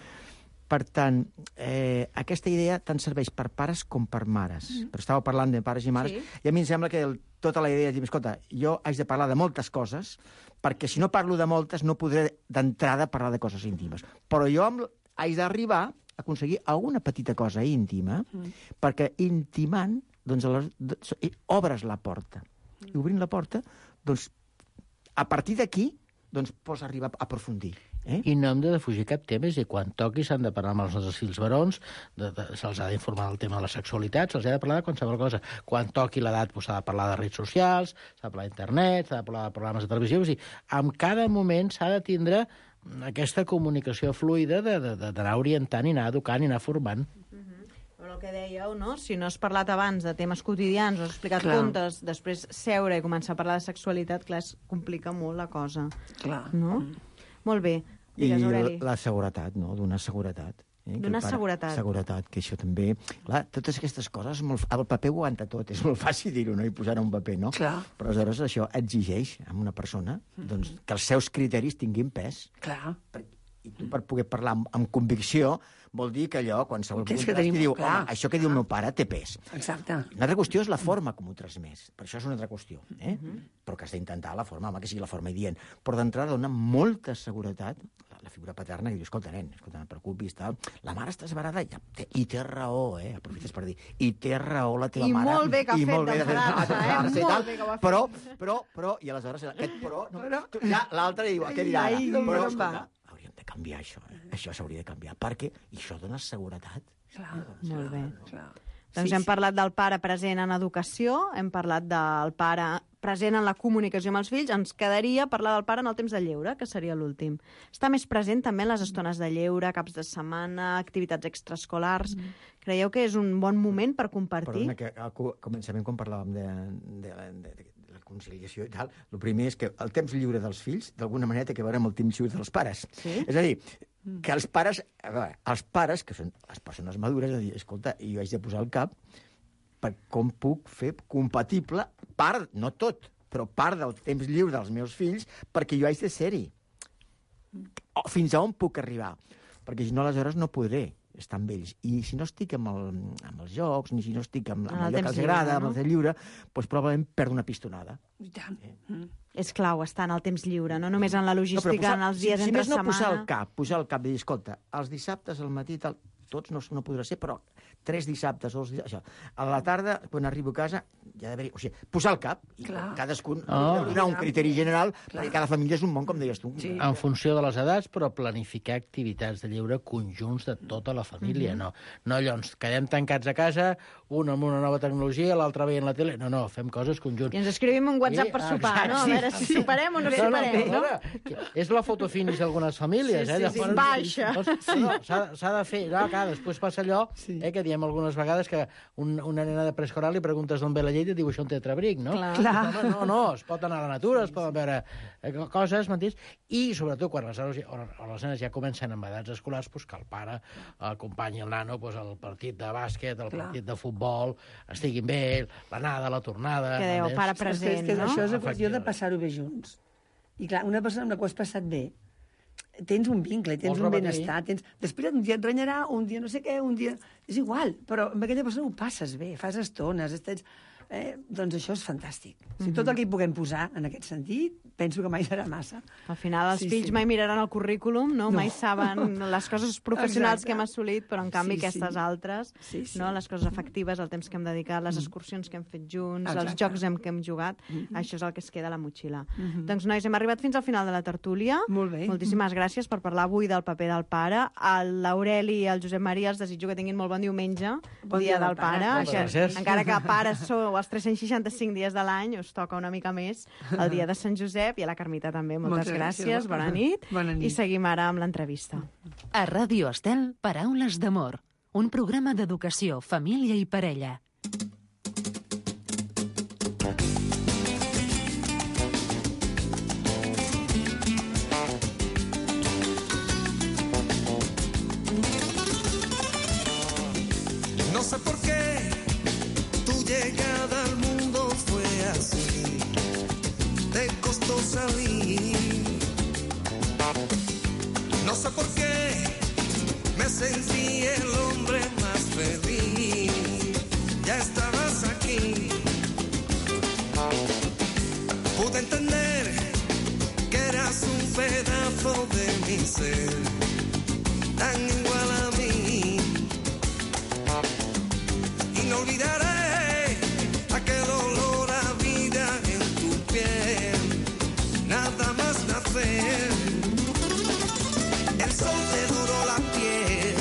Per tant, eh, aquesta idea tant serveix per pares com per mares. Mm. Però estàveu parlant de pares i mares, sí. I a mi em sembla que el, tota la idea és dir, escolta, jo haig de parlar de moltes coses, perquè si no parlo de moltes no podré d'entrada parlar de coses íntimes. Però jo amb, haig d'arribar a aconseguir alguna petita cosa íntima, mm. perquè intimant, doncs, les, obres la porta. Mm. I obrint la porta, doncs, a partir d'aquí, doncs, pots arribar a aprofundir. Eh? I no hem de defugir cap tema, és a dir, quan toqui s'han de parlar amb els nostres fills barons, de, de, se'ls ha d'informar del tema de la sexualitat, se'ls ha de parlar de qualsevol cosa. Quan toqui l'edat doncs, s'ha de parlar de redes socials, s'ha de parlar d'internet, s'ha de parlar de programes de televisió, és a dir, en cada moment s'ha de tindre aquesta comunicació fluida d'anar orientant i anar educant i anar formant. Però el que dèieu, no? Si no has parlat abans de temes quotidians o has explicat clar. Contes, després seure i començar a parlar de sexualitat, clar, es complica molt la cosa. Clar. No? Mm. Molt bé. Digues, Aureli. I la seguretat, no? Donar seguretat. Eh? Donar seguretat. Seguretat, que això també... Clar, totes aquestes coses, molt... el paper ho aguanta tot, és molt fàcil dir-ho, no? I posar-ho un paper, no? Clar. Però aleshores això exigeix a una persona doncs, que els seus criteris tinguin pes. Clar. I tu, per poder parlar amb, amb convicció, vol dir que allò, qualsevol que que tenim, diu, clar. home, això que diu el meu pare té pes. Exacte. Una altra qüestió és la forma com ho transmès. Per això és una altra qüestió. Eh? Uh -huh. Però que has d'intentar la forma, home, que sigui la forma idient. Però d'entrada dona molta seguretat la figura paterna que diu, escolta, nen, escolta, no et preocupis, tal. La mare està esbarada i, té, i té raó, eh? Aprofites per dir, i té raó la teva I mare. I molt bé que ha fet d'enfadar-se, eh? Molt tal, bé que ho ha fet. Però, però, però, i aleshores, aquest però, no, tu, ja l'altre diu, què dirà? Ai, Però, ai, escolta, hauríem de canviar això, eh? Això s'hauria de canviar, perquè això dona seguretat. Clar, molt bé. Clar. Doncs sí, hem sí. parlat del pare present en educació, hem parlat del pare present en la comunicació amb els fills, ens quedaria parlar del pare en el temps de lleure, que seria l'últim. Està més present també en les estones de lleure, caps de setmana, activitats extraescolars. Mm. Creieu que és un bon moment per compartir? Perdona, que al començament, quan parlàvem de, de, de, de, de la conciliació i tal, el primer és que el temps lliure dels fills, d'alguna manera, té que veure amb el temps lliure dels pares. Sí? És a dir, que els pares, a veure, els pares, que són les persones madures, és a dir, escolta, jo haig de posar el cap per com puc fer compatible part, no tot, però part del temps lliure dels meus fills, perquè jo haig de ser-hi. Fins a on puc arribar? Perquè si no, aleshores no podré estar amb ells. I si no estic amb, el, amb els jocs, ni si no estic amb, amb allò que els agrada, amb el temps lliure, doncs probablement perdo una pistonada. I tant. Eh? Mm. És clau estar en el temps lliure, no només en la logística, no, posar, en els dies si, entre si més no, setmana. posar el cap, posar el cap i dir, escolta, els dissabtes al matí, tal, tots no, no podrà ser, però tres dissabtes, o els dissabtes, això. A la tarda, quan arribo a casa, ja ha d'haver-hi... O sigui, posar el cap, i clar. Cadascun oh. donar un criteri general, clar. Perquè cada família és un món, com deies tu. Sí. En funció de les edats, però planificar activitats de lleure conjunts de tota la família, mm -hmm. no. No allò, ens quedem tancats a casa, un amb una nova tecnologia, l'altre veient la tele... No, no, fem coses conjunts. I ens escrivim un WhatsApp sí, per sopar, exacte, no? A veure si sí. superem o no, no superem, no? no? És la fotofinis d'algunes famílies, sí, eh? Sí, sí, sí. Baixa. Doncs, sí. No, s'ha de fer... No, clar, després passa allò, sí. eh, que diem algunes vegades que un, una nena de preescolar li preguntes d'on ve la llet i diu això un tetrabric, no? Clar. No, no, no, es pot anar a la natura, sí, es poden veure eh, coses, m'entens? I, sobretot, quan les, o, o les nenes ja comencen amb edats escolars, pues, que el pare acompanyi el nano pues, al partit de bàsquet, al clar. Partit de futbol, estiguin bé, l'anada, la tornada... Que dèieu, pare present, és que, és que no? Això és qüestió de passar-ho bé junts. I clar, una persona amb la qual has passat bé, tens un vincle, tens un benestar, tens... Després un dia et renyarà, un dia no sé què, un dia... És igual, però amb aquella persona ho passes bé, fas estones, estàs... Eh, doncs això és fantàstic. O sigui, tot el que hi puguem posar en aquest sentit, penso que mai serà massa. Al final, els sí, fills sí. mai miraran el currículum, no? no. Mai saben les coses professionals Exacte. que hem assolit, però en canvi sí, aquestes sí. altres, sí, sí. no? Les coses afectives, el temps que hem dedicat, les excursions que hem fet junts, Exacte. els jocs en què hem jugat, mm -hmm. això és el que es queda a la motxilla. Mm -hmm. Doncs, nois, hem arribat fins al final de la tertúlia. Molt bé. Moltíssimes gràcies per parlar avui del paper del pare. L'Aureli i el Josep Maria els desitjo que tinguin molt bon diumenge, bon dia, dia del pare. pare. Gràcies. Encara que pares sou els tres-cents seixanta-cinc dies de l'any, us toca una mica més el dia de Sant Josep, i a la Carmita també. Moltes, Moltes gràcies, gràcies. Bona nit. Bona nit. I seguim ara amb l'entrevista. A Ràdio Estel, Paraules d'amor, un programa d'educació, família i parella. No sé por qué tu llegada al mundo fue así, te costó salir. No sé por qué me sentí el hombre más feliz. Ya estabas aquí. Pude entender que eras un pedazo de mi ser, tan igual a mí. Y no olvidaré aquel olor a vida en tu piel, nada más nacer. El sol te doró la piel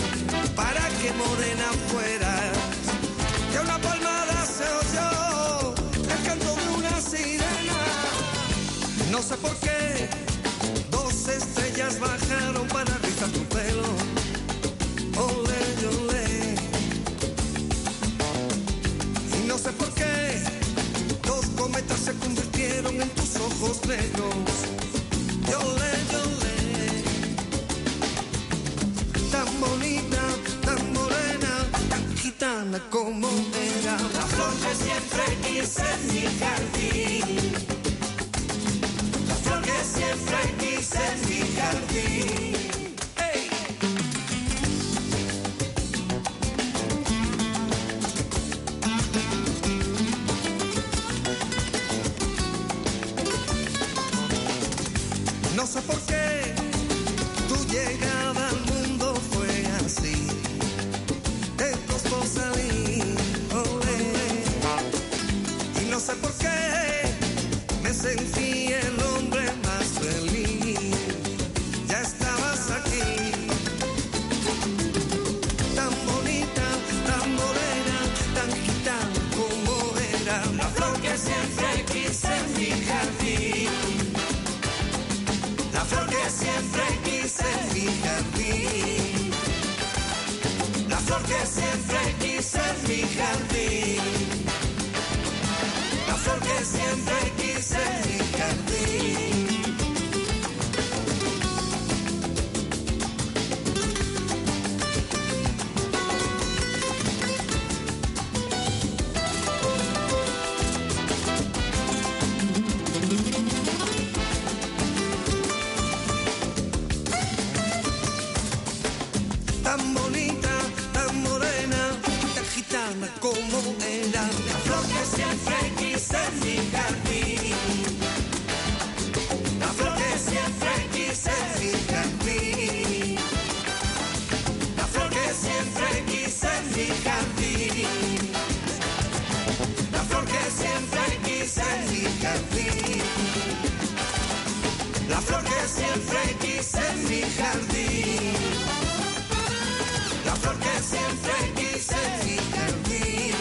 para que morena fueras. Que una palmada se oyó el canto de una sirena. No sé por qué dos estrellas bajaron para rizar tu pelo. Olé, olé. Y no sé por qué dos cometas se convirtieron en tus ojos negros. Olé, olé. Tan bonita, tan morena, tan gitana como era. La flor que siempre quise en mi jardín. La flor que siempre quise en mi jardín. ¡Hey! No sé por qué tu llegada al mundo fue así. Te costó salir, olé. Y no sé por qué me sentí el hombre más feliz. Ya estabas aquí. Tan bonita, tan morena, tan gitana como era. La flor que siempre quise en mi jardín. La flor que siempre quise en mi jardín. La flor que siempre quise en mi jardín. La flor que siempre quise en mi jardín. Tan bonita, tan morena, tan gitana como era. La flor que siempre quise en mi jardín. La flor que siempre quise en mi jardín. La flor que siempre quise en mi jardín. La flor que siempre quise en mi jardín. La flor que siempre quise en mi jardín. La flor que siempre quise en mi jardín.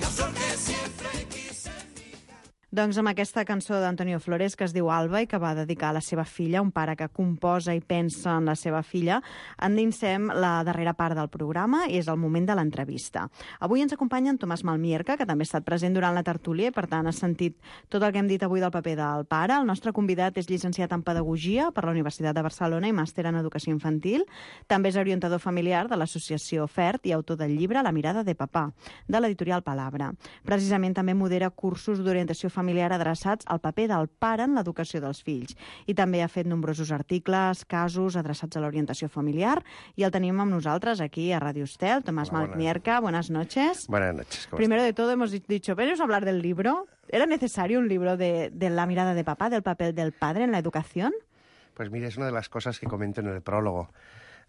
La flor que siempre quise en mi jardín. Doncs amb aquesta cançó d'Antonio Flores, que es diu Alba i que va dedicar a la seva filla, un pare que composa i pensa en la seva filla, endinsem la darrera part del programa i és el moment de l'entrevista. Avui ens acompanya en Tomàs Malmierca, que també ha estat present durant la tertúlia i, per tant, ha sentit tot el que hem dit avui del paper del pare. El nostre convidat és llicenciat en Pedagogia per la Universitat de Barcelona i màster en Educació Infantil. També és orientador familiar de l'associació FERT i autor del llibre La mirada de papà, de l'editorial Palabra. Precisament també modera cursos d'orientació familiar familiar adreçats al paper del pare en l'educació dels fills. I també ha fet nombrosos articles, casos adreçats a l'orientació familiar, i el tenim amb nosaltres aquí a Radio Estel. Tomàs Malmierca, buenas noches. Buenas noches. Primero de todo hemos dicho, venimos a hablar del libro. ¿Era necesario un libro de, de la mirada de papá, del papel del padre en la educación? Pues mira, es una de las cosas que comento en el prólogo.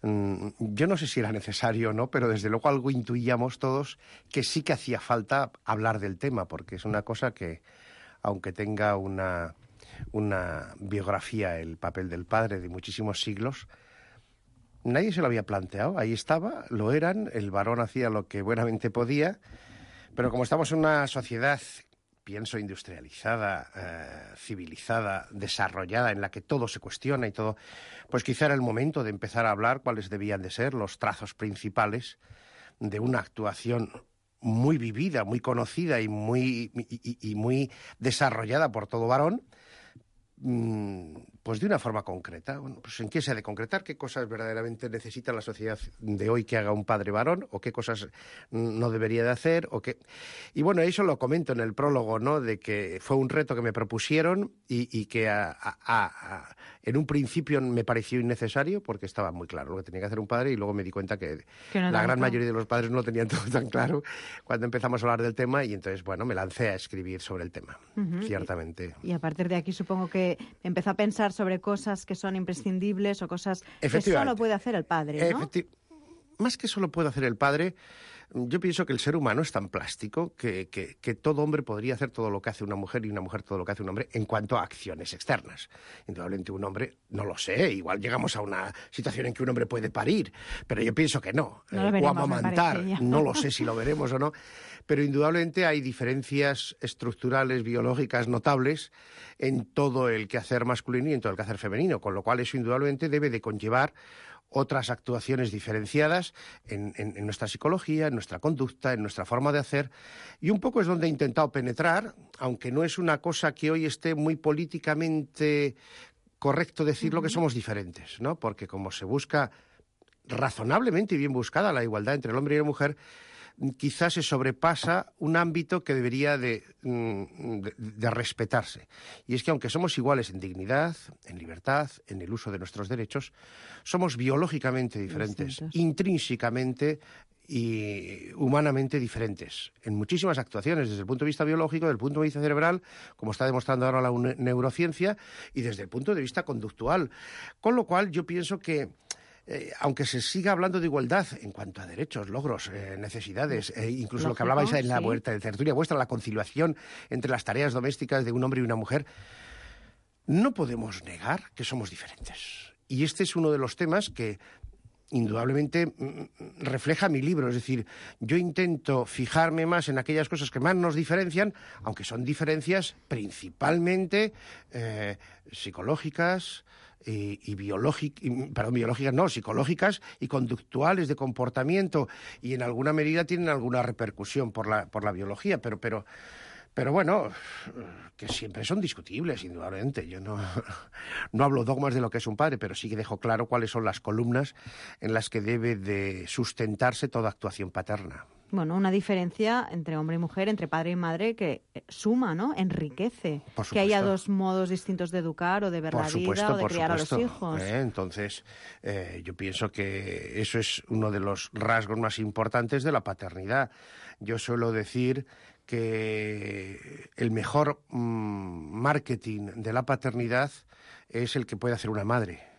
Yo no sé si era necesario o no, pero desde luego algo intuíamos todos que sí que hacía falta hablar del tema, porque es una cosa que, aunque tenga una, una biografía, el papel del padre de muchísimos siglos, nadie se lo había planteado. Ahí estaba, lo eran, el varón hacía lo que buenamente podía, pero como estamos en una sociedad, pienso, industrializada, eh, civilizada, desarrollada, en la que todo se cuestiona y todo, pues quizá era el momento de empezar a hablar cuáles debían de ser los trazos principales de una actuación muy vivida, muy conocida y muy, y, y muy desarrollada por todo varón, pues de una forma concreta. Bueno, pues ¿en qué se ha de concretar? ¿Qué cosas verdaderamente necesita la sociedad de hoy que haga un padre varón? ¿O qué cosas no debería de hacer? ¿O qué? Y bueno, eso lo comento en el prólogo, ¿no? De que fue un reto que me propusieron y, y que a, a, a, en un principio me pareció innecesario porque estaba muy claro lo que tenía que hacer un padre y luego me di cuenta que, que no la gran mayoría de los padres no lo tenían todo tan claro cuando empezamos a hablar del tema y entonces, bueno, me lancé a escribir sobre el tema, uh-huh. ciertamente. Y, y a partir de aquí supongo que empezó a pensar sobre cosas que son imprescindibles o cosas que solo puede hacer el padre, ¿no? Efecti- Más que solo puede hacer el padre, yo pienso que el ser humano es tan plástico que, que, que todo hombre podría hacer todo lo que hace una mujer y una mujer todo lo que hace un hombre en cuanto a acciones externas. Indudablemente un hombre, no lo sé, igual llegamos a una situación en que un hombre puede parir, pero yo pienso que no. no eh, veremos, o amamantar, no lo sé si lo veremos o no, pero indudablemente hay diferencias estructurales, biológicas notables en todo el quehacer masculino y en todo el quehacer femenino, con lo cual eso indudablemente debe de conllevar otras actuaciones diferenciadas en, en, en nuestra psicología, en nuestra conducta, en nuestra forma de hacer. Y un poco es donde he intentado penetrar, aunque no es una cosa que hoy esté muy políticamente correcto decirlo, uh-huh. que somos diferentes, ¿no? Porque como se busca razonablemente y bien buscada la igualdad entre el hombre y la mujer, quizás se sobrepasa un ámbito que debería de, de, de respetarse. Y es que aunque somos iguales en dignidad, en libertad, en el uso de nuestros derechos, somos biológicamente diferentes, Distintos. intrínsecamente y humanamente diferentes en muchísimas actuaciones, desde el punto de vista biológico, desde el punto de vista cerebral, como está demostrando ahora la neurociencia, y desde el punto de vista conductual. Con lo cual yo pienso que Eh, aunque se siga hablando de igualdad en cuanto a derechos, logros, eh, necesidades, eh, incluso Lógico, lo que hablabais en la, sí. vuelta, de tertulia vuestra, la conciliación entre las tareas domésticas de un hombre y una mujer, no podemos negar que somos diferentes. Y este es uno de los temas que indudablemente mm, refleja mi libro. Es decir, yo intento fijarme más en aquellas cosas que más nos diferencian, aunque son diferencias principalmente eh, psicológicas, y, y biológicas, perdón, biológicas no, psicológicas y conductuales de comportamiento, y en alguna medida tienen alguna repercusión por la, por la biología, pero, pero, pero bueno, que siempre son discutibles, indudablemente. Yo no, no hablo dogmas de lo que es un padre, pero sí que dejo claro cuáles son las columnas en las que debe de sustentarse toda actuación paterna. Bueno, una diferencia entre hombre y mujer, entre padre y madre, que suma, ¿no? Enriquece. Que haya dos modos distintos de educar o de ver por la supuesto, vida o de criar supuesto. a los hijos. Eh, entonces, eh, yo pienso que eso es uno de los rasgos más importantes de la paternidad. Yo suelo decir que el mejor mmm, marketing de la paternidad es el que puede hacer una madre.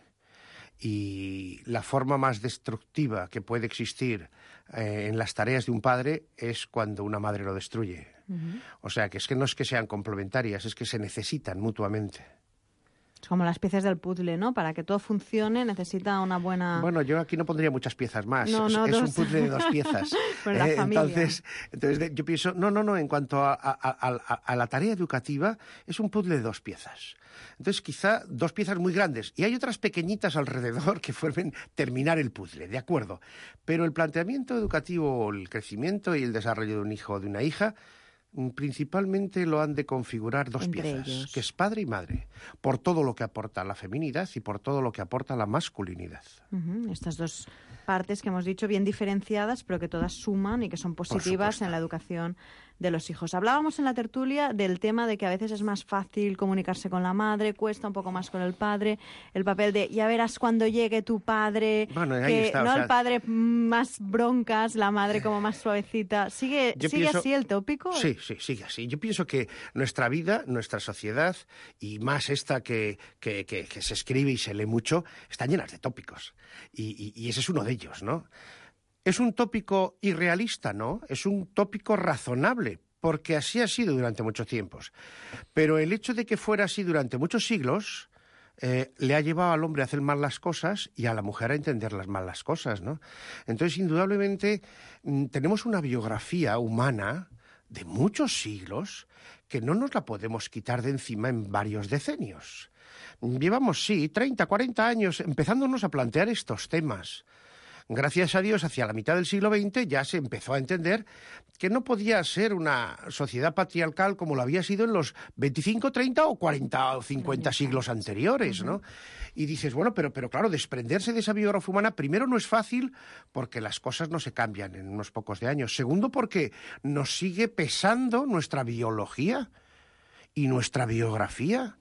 Y la forma más destructiva que puede existir eh, en las tareas de un padre es cuando una madre lo destruye. Uh-huh. O sea, que es que no es que sean complementarias, es que se necesitan mutuamente. Es como las piezas del puzzle, ¿no? Para que todo funcione necesita una buena... Bueno, yo aquí no pondría muchas piezas más. No, no, es dos. un puzzle de dos piezas. Pues la eh, familia. Entonces, entonces yo pienso, no, no, no, en cuanto a, a, a, a la tarea educativa, es un puzzle de dos piezas. Entonces, quizá dos piezas muy grandes. Y hay otras pequeñitas alrededor que formen terminar el puzzle, ¿de acuerdo? Pero el planteamiento educativo, el crecimiento y el desarrollo de un hijo o de una hija, principalmente lo han de configurar dos Entre piezas, ellos. que es padre y madre, por todo lo que aporta la feminidad y por todo lo que aporta la masculinidad. Uh-huh. Estas dos partes que hemos dicho, bien diferenciadas, pero que todas suman y que son positivas en la educación de los hijos. Hablábamos en la tertulia del tema de que a veces es más fácil comunicarse con la madre, cuesta un poco más con el padre, el papel de ya verás cuando llegue tu padre, bueno, ahí que está, no o sea, el padre más broncas, la madre como más suavecita. ¿Sigue, ¿sigue pienso, así el tópico? Sí, sí, sigue así. Yo pienso que nuestra vida, nuestra sociedad, y más esta que, que, que, que se escribe y se lee mucho, están llenas de tópicos. Y, y, y ese es uno de ellos, ¿no? ¿Es un tópico irrealista? No, es un tópico razonable, porque así ha sido durante muchos tiempos. Pero el hecho de que fuera así durante muchos siglos eh, le ha llevado al hombre a hacer mal las cosas y a la mujer a entender las mal las cosas, ¿no? Entonces, indudablemente, mm, tenemos una biografía humana de muchos siglos que no nos la podemos quitar de encima en varios decenios. Llevamos, sí, treinta, cuarenta años empezándonos a plantear estos temas. Gracias a Dios, hacia la mitad del siglo veinte ya se empezó a entender que no podía ser una sociedad patriarcal como lo había sido en los veinticinco, treinta o cuarenta o cincuenta siglos anteriores, ¿no? Y dices, bueno, pero, pero claro, desprenderse de esa biografía humana, primero no es fácil porque las cosas no se cambian en unos pocos de años. Segundo, porque nos sigue pesando nuestra biología y nuestra biografía.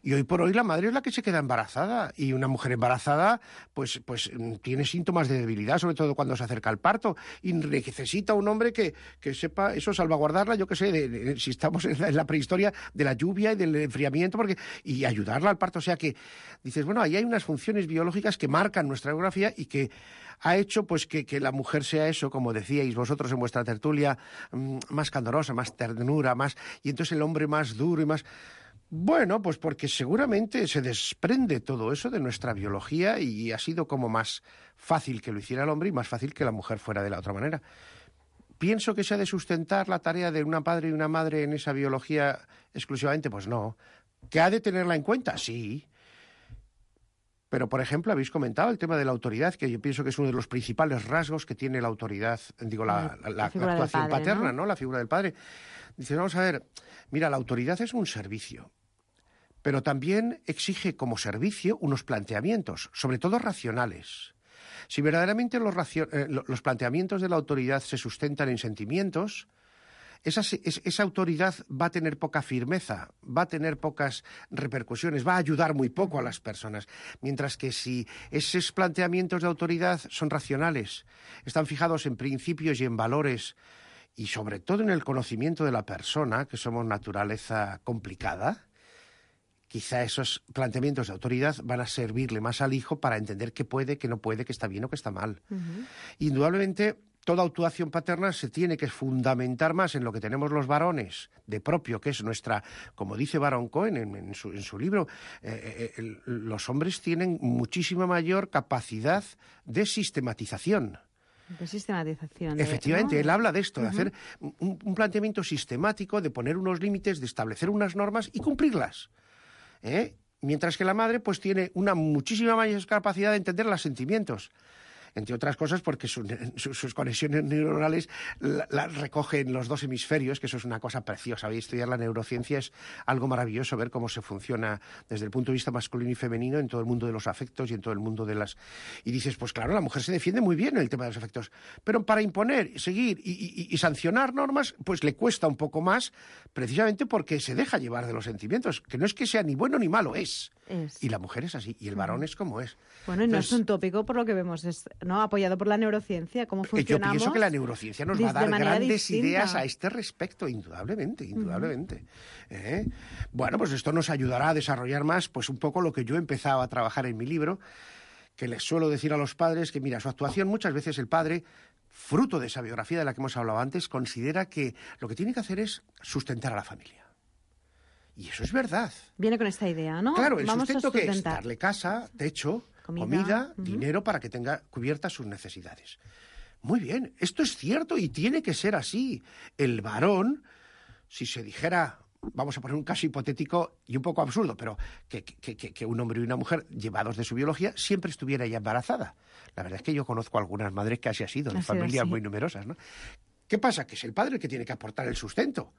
Y hoy por hoy la madre es la que se queda embarazada, y una mujer embarazada pues, pues tiene síntomas de debilidad, sobre todo cuando se acerca al parto, y necesita un hombre que, que sepa eso, salvaguardarla, yo qué sé, de, de, si estamos en la, en la prehistoria, de la lluvia y del enfriamiento, porque, y ayudarla al parto. O sea que dices, bueno, ahí hay unas funciones biológicas que marcan nuestra biografía y que ha hecho pues que, que la mujer sea eso, como decíais vosotros en vuestra tertulia, más candorosa, más ternura, más, y entonces el hombre más duro y más... Bueno, pues porque seguramente se desprende todo eso de nuestra biología y ha sido como más fácil que lo hiciera el hombre y más fácil que la mujer fuera de la otra manera. ¿Pienso que se ha de sustentar la tarea de una padre y una madre en esa biología exclusivamente? Pues no. ¿Que ha de tenerla en cuenta? Sí. Pero, por ejemplo, habéis comentado el tema de la autoridad, que yo pienso que es uno de los principales rasgos que tiene la autoridad, digo, la, la, la, la actuación padre, paterna, ¿no? ¿no? La figura del padre. Dice, vamos a ver, mira, la autoridad es un servicio, pero también exige como servicio unos planteamientos, sobre todo racionales. Si verdaderamente los, racio- eh, los planteamientos de la autoridad se sustentan en sentimientos, esa, esa autoridad va a tener poca firmeza, va a tener pocas repercusiones, va a ayudar muy poco a las personas. Mientras que si esos planteamientos de autoridad son racionales, están fijados en principios y en valores, y sobre todo en el conocimiento de la persona, que somos naturaleza complicada, quizá esos planteamientos de autoridad van a servirle más al hijo para entender qué puede, qué no puede, qué está bien o qué está mal. Uh-huh. Indudablemente, toda actuación paterna se tiene que fundamentar más en lo que tenemos los varones de propio, que es nuestra, como dice Baron Cohen en, en, su, en su libro, eh, eh, el, los hombres tienen muchísima mayor capacidad de sistematización. De sistematización. Efectivamente, ¿no? Él habla de esto, de uh-huh. hacer un, un planteamiento sistemático, de poner unos límites, de establecer unas normas y cumplirlas. ¿Eh? Mientras que la madre pues tiene una muchísima mayor capacidad de entender los sentimientos. Entre otras cosas porque su, su, sus conexiones neuronales las la recogen los dos hemisferios, que eso es una cosa preciosa. Y estudiar la neurociencia es algo maravilloso, ver cómo se funciona desde el punto de vista masculino y femenino en todo el mundo de los afectos y en todo el mundo de las... Y dices, pues claro, la mujer se defiende muy bien en el tema de los afectos, pero para imponer, seguir y, y, y sancionar normas, pues le cuesta un poco más, precisamente porque se deja llevar de los sentimientos, que no es que sea ni bueno ni malo, es... Es. Y la mujer es así, y el varón es como es. Bueno, y Entonces, no es un tópico por lo que vemos, es, ¿no? Apoyado por la neurociencia, cómo funcionamos. Yo pienso que la neurociencia nos va a dar grandes distinta. ideas a este respecto, indudablemente, indudablemente. Uh-huh. ¿Eh? Bueno, pues esto nos ayudará a desarrollar más, pues un poco lo que yo he empezado a trabajar en mi libro, que les suelo decir a los padres que, mira, su actuación, muchas veces el padre, fruto de esa biografía de la que hemos hablado antes, considera que lo que tiene que hacer es sustentar a la familia. Y eso es verdad. Viene con esta idea, ¿no? Claro, el Vamos sustento que es darle casa, techo, comida, comida uh-huh. dinero para que tenga cubiertas sus necesidades. Muy bien, esto es cierto y tiene que ser así. El varón, si se dijera, vamos a poner un caso hipotético y un poco absurdo, pero que, que, que, que un hombre y una mujer, llevados de su biología, siempre estuviera ella embarazada. La verdad es que yo conozco algunas madres que así ha sido, de familias así. muy numerosas, ¿no? ¿Qué pasa? Que es el padre el que tiene que aportar el sustento.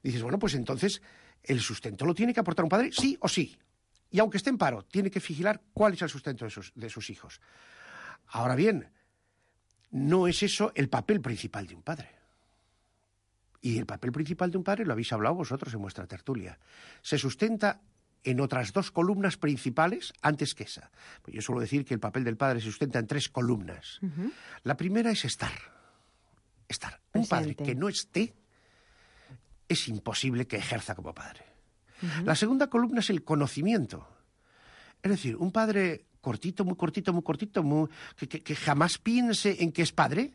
Dices, bueno, pues entonces, ¿el sustento lo tiene que aportar un padre? Sí o sí. Y aunque esté en paro, tiene que vigilar cuál es el sustento de sus, de sus hijos. Ahora bien, no es eso el papel principal de un padre. Y el papel principal de un padre, lo habéis hablado vosotros en vuestra tertulia, se sustenta en otras dos columnas principales antes que esa. Pues yo suelo decir que el papel del padre se sustenta en tres columnas. Uh-huh. La primera es estar. Estar. Un Presente. Padre que no esté es imposible que ejerza como padre. Uh-huh. La segunda columna es el conocimiento. Es decir, un padre cortito, muy cortito, muy cortito, muy, que, que, que jamás piense en que es padre,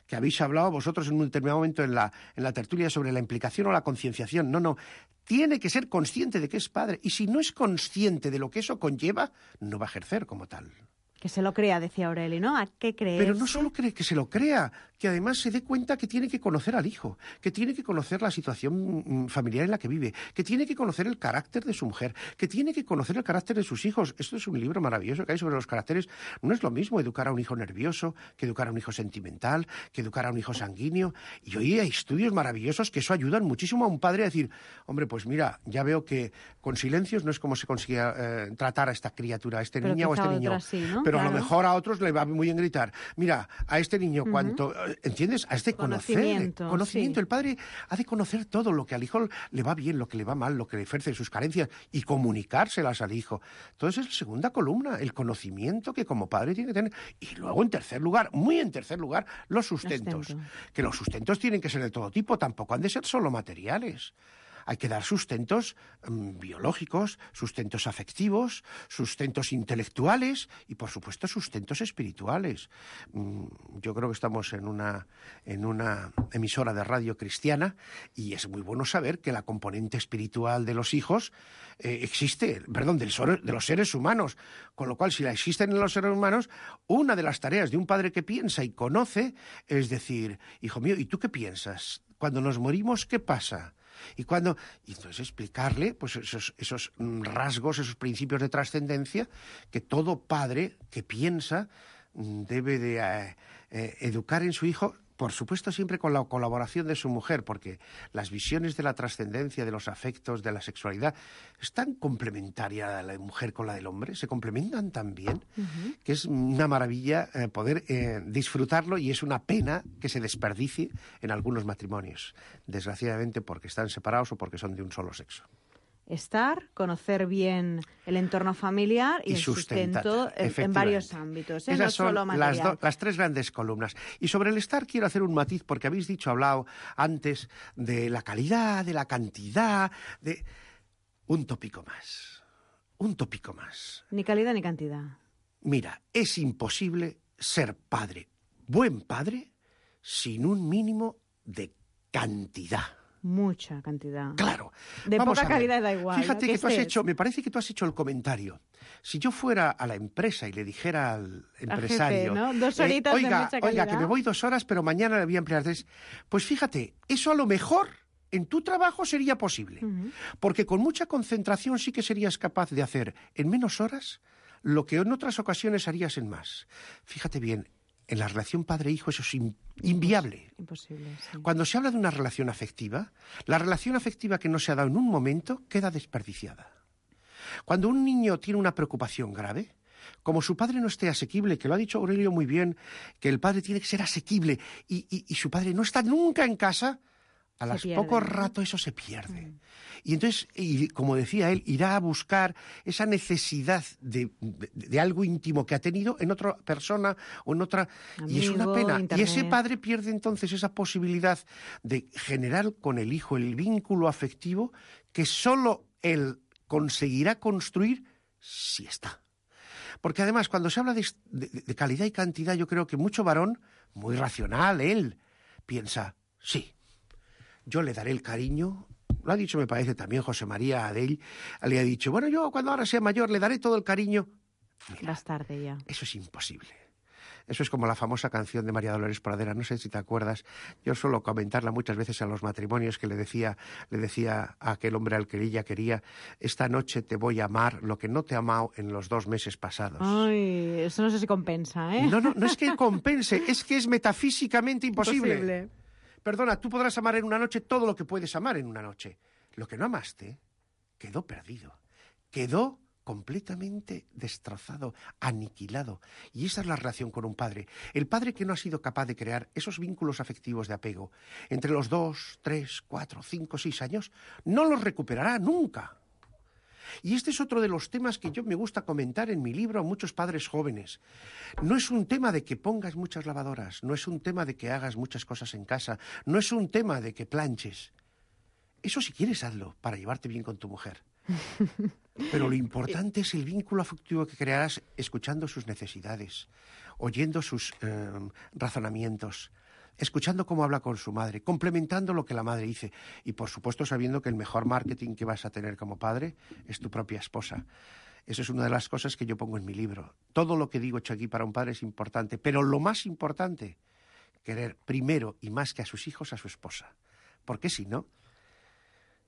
que habéis hablado vosotros en un determinado momento en la, en la tertulia sobre la implicación o la concienciación. No, no. Tiene que ser consciente de que es padre. Y si no es consciente de lo que eso conlleva, no va a ejercer como tal. Que se lo crea, decía Aureli, ¿no? ¿A qué crees? Pero no solo cree que se lo crea, que además se dé cuenta que tiene que conocer al hijo, que tiene que conocer la situación familiar en la que vive, que tiene que conocer el carácter de su mujer, que tiene que conocer el carácter de sus hijos. Esto es un libro maravilloso que hay sobre los caracteres. No es lo mismo educar a un hijo nervioso que educar a un hijo sentimental, que educar a un hijo sanguíneo. Y hoy hay estudios maravillosos que eso ayudan muchísimo a un padre a decir, hombre, pues mira, ya veo que con silencios no es como se consigue eh, tratar a esta criatura, a este Pero niño o a este niño. Sí, ¿no? Pero claro. a lo mejor a otros le va muy bien gritar, mira, a este niño Uh-huh. cuánto, ¿entiendes? A este Conocimiento, conocer, conocimiento. sí. El padre ha de conocer todo, lo que al hijo le va bien, lo que le va mal, lo que le ejerce, sus carencias, y comunicárselas al hijo. Entonces es la segunda columna, el conocimiento que como padre tiene que tener. Y luego, en tercer lugar, muy en tercer lugar, los sustentos. Sustento. Que los sustentos tienen que ser de todo tipo, tampoco han de ser solo materiales. Hay que dar sustentos um, biológicos, sustentos afectivos, sustentos intelectuales y, por supuesto, sustentos espirituales. Um, yo creo que estamos en una, en una emisora de radio cristiana y es muy bueno saber que la componente espiritual de los hijos eh, existe, perdón, del so- de los seres humanos. Con lo cual, si la existen en los seres humanos, una de las tareas de un padre que piensa y conoce es decir, hijo mío, ¿y tú qué piensas? Cuando nos morimos, ¿qué pasa? Y cuando y entonces explicarle pues esos, esos rasgos, esos principios de trascendencia que todo padre que piensa debe de eh, eh, educar en su hijo, por supuesto siempre con la colaboración de su mujer, porque las visiones de la trascendencia, de los afectos, de la sexualidad, es tan complementaria la mujer con la del hombre, se complementan tan bien, uh-huh. que es una maravilla eh, poder eh, disfrutarlo y es una pena que se desperdicie en algunos matrimonios, desgraciadamente porque están separados o porque son de un solo sexo. Estar, conocer bien el entorno familiar y, y el sustento en, en varios ámbitos, ¿eh? Esas no son solo material. Las, do, las tres grandes columnas. Y sobre el estar quiero hacer un matiz, porque habéis dicho, hablado antes de la calidad, de la cantidad, de... Un tópico más, un tópico más. Ni calidad ni cantidad. Mira, es imposible ser padre, buen padre, sin un mínimo de cantidad. Mucha cantidad. Claro. De Vamos poca calidad da igual. Fíjate ¿no? que tú has hecho, me parece que tú has hecho el comentario. Si yo fuera a la empresa y le dijera al empresario, jefe, ¿no? Dos horitas eh, oiga, de mucha calidad. Oiga, que me voy dos horas, pero mañana le voy a emplear tres. Pues fíjate, eso a lo mejor en tu trabajo sería posible. Uh-huh. Porque con mucha concentración sí que serías capaz de hacer en menos horas lo que en otras ocasiones harías en más. Fíjate bien, en la relación padre-hijo eso es in, inviable. Imposible, sí. Cuando se habla de una relación afectiva, la relación afectiva que no se ha dado en un momento queda desperdiciada. Cuando un niño tiene una preocupación grave, como su padre no esté asequible, que lo ha dicho Aurelio muy bien, que el padre tiene que ser asequible y, y, y su padre no está nunca en casa, a las pocos ratos eso se pierde. Mm. Y entonces, y como decía él, irá a buscar esa necesidad de, de, de algo íntimo que ha tenido en otra persona o en otra... Amigo, y es una pena. Internet. Y ese padre pierde entonces esa posibilidad de generar con el hijo el vínculo afectivo que solo él conseguirá construir si está. Porque además, cuando se habla de, de, de calidad y cantidad, yo creo que mucho varón, muy racional, él, piensa, sí, yo le daré el cariño, lo ha dicho me parece también José María Adell, le ha dicho, bueno, yo cuando ahora sea mayor le daré todo el cariño. Mira, más tarde ya. Eso es imposible. Eso es como la famosa canción de María Dolores Pradera, no sé si te acuerdas, yo suelo comentarla muchas veces en los matrimonios, que le decía, le decía a aquel hombre al que ella quería, esta noche te voy a amar lo que no te he amado en los dos meses pasados. Ay, eso no sé si compensa, ¿eh? No, no, no es que compense, es que es metafísicamente imposible. Imposible. Perdona, tú podrás amar en una noche todo lo que puedes amar en una noche. Lo que no amaste quedó perdido, quedó completamente destrozado, aniquilado. Y esa es la relación con un padre. El padre que no ha sido capaz de crear esos vínculos afectivos de apego entre los dos, tres, cuatro, cinco, seis años, no los recuperará nunca. Y este es otro de los temas que yo me gusta comentar en mi libro a muchos padres jóvenes. No es un tema de que pongas muchas lavadoras, no es un tema de que hagas muchas cosas en casa, no es un tema de que planches. Eso si quieres hazlo para llevarte bien con tu mujer. Pero lo importante es el vínculo afectivo que crearás escuchando sus necesidades, oyendo sus eh, razonamientos, escuchando cómo habla con su madre, complementando lo que la madre dice y, por supuesto, sabiendo que el mejor marketing que vas a tener como padre es tu propia esposa. Eso es una de las cosas que yo pongo en mi libro. Todo lo que digo hecho aquí para un padre es importante, pero lo más importante, querer primero y más que a sus hijos, a su esposa. Porque si no,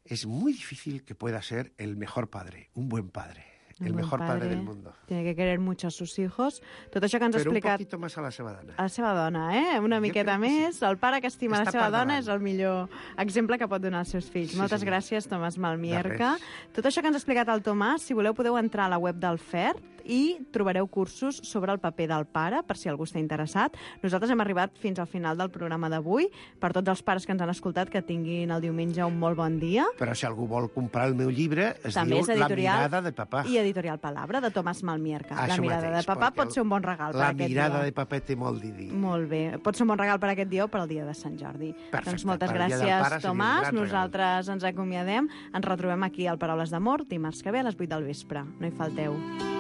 es muy difícil que pueda ser el mejor padre, un buen padre. El mejor padre, padre del mundo. Tiene que querer mucho a sus hijos. Tot això que ens ha Però explicat... un poquito más a la seva dona. A la seva dona, eh? Una Jo miqueta més. Sí. El pare que estima Està la seva per dona davant. és el millor exemple que pot donar als seus fills. Sí, Moltes senyor. gràcies, Tomàs Malmierca. De res. Tot això que ens ha explicat el Tomàs, si voleu podeu entrar a la web del F E R T i trobareu cursos sobre el paper del pare, per si algú està interessat. Nosaltres hem arribat fins al final del programa d'avui. Per tots els pares que ens han escoltat, que tinguin el diumenge un molt bon dia. Però si algú vol comprar el meu llibre, es També diu és La editorial mirada de papà. I editorial Palabra, de Tomàs Malmierca. Això la mirada mateix, de papà perquè pot ser un bon regal per La aquest mirada dia. de papà té molt de dir. Molt bé. Pot ser un bon regal per aquest dia o per al dia de Sant Jordi. Perfecte. Doncs moltes Per al dia del gràcies, pare seria un Tomàs. gran Nosaltres ens acomiadem. Ens retrobem aquí al Paraules d'Amor dimarts que ve a les vuit del vespre. No hi falteu.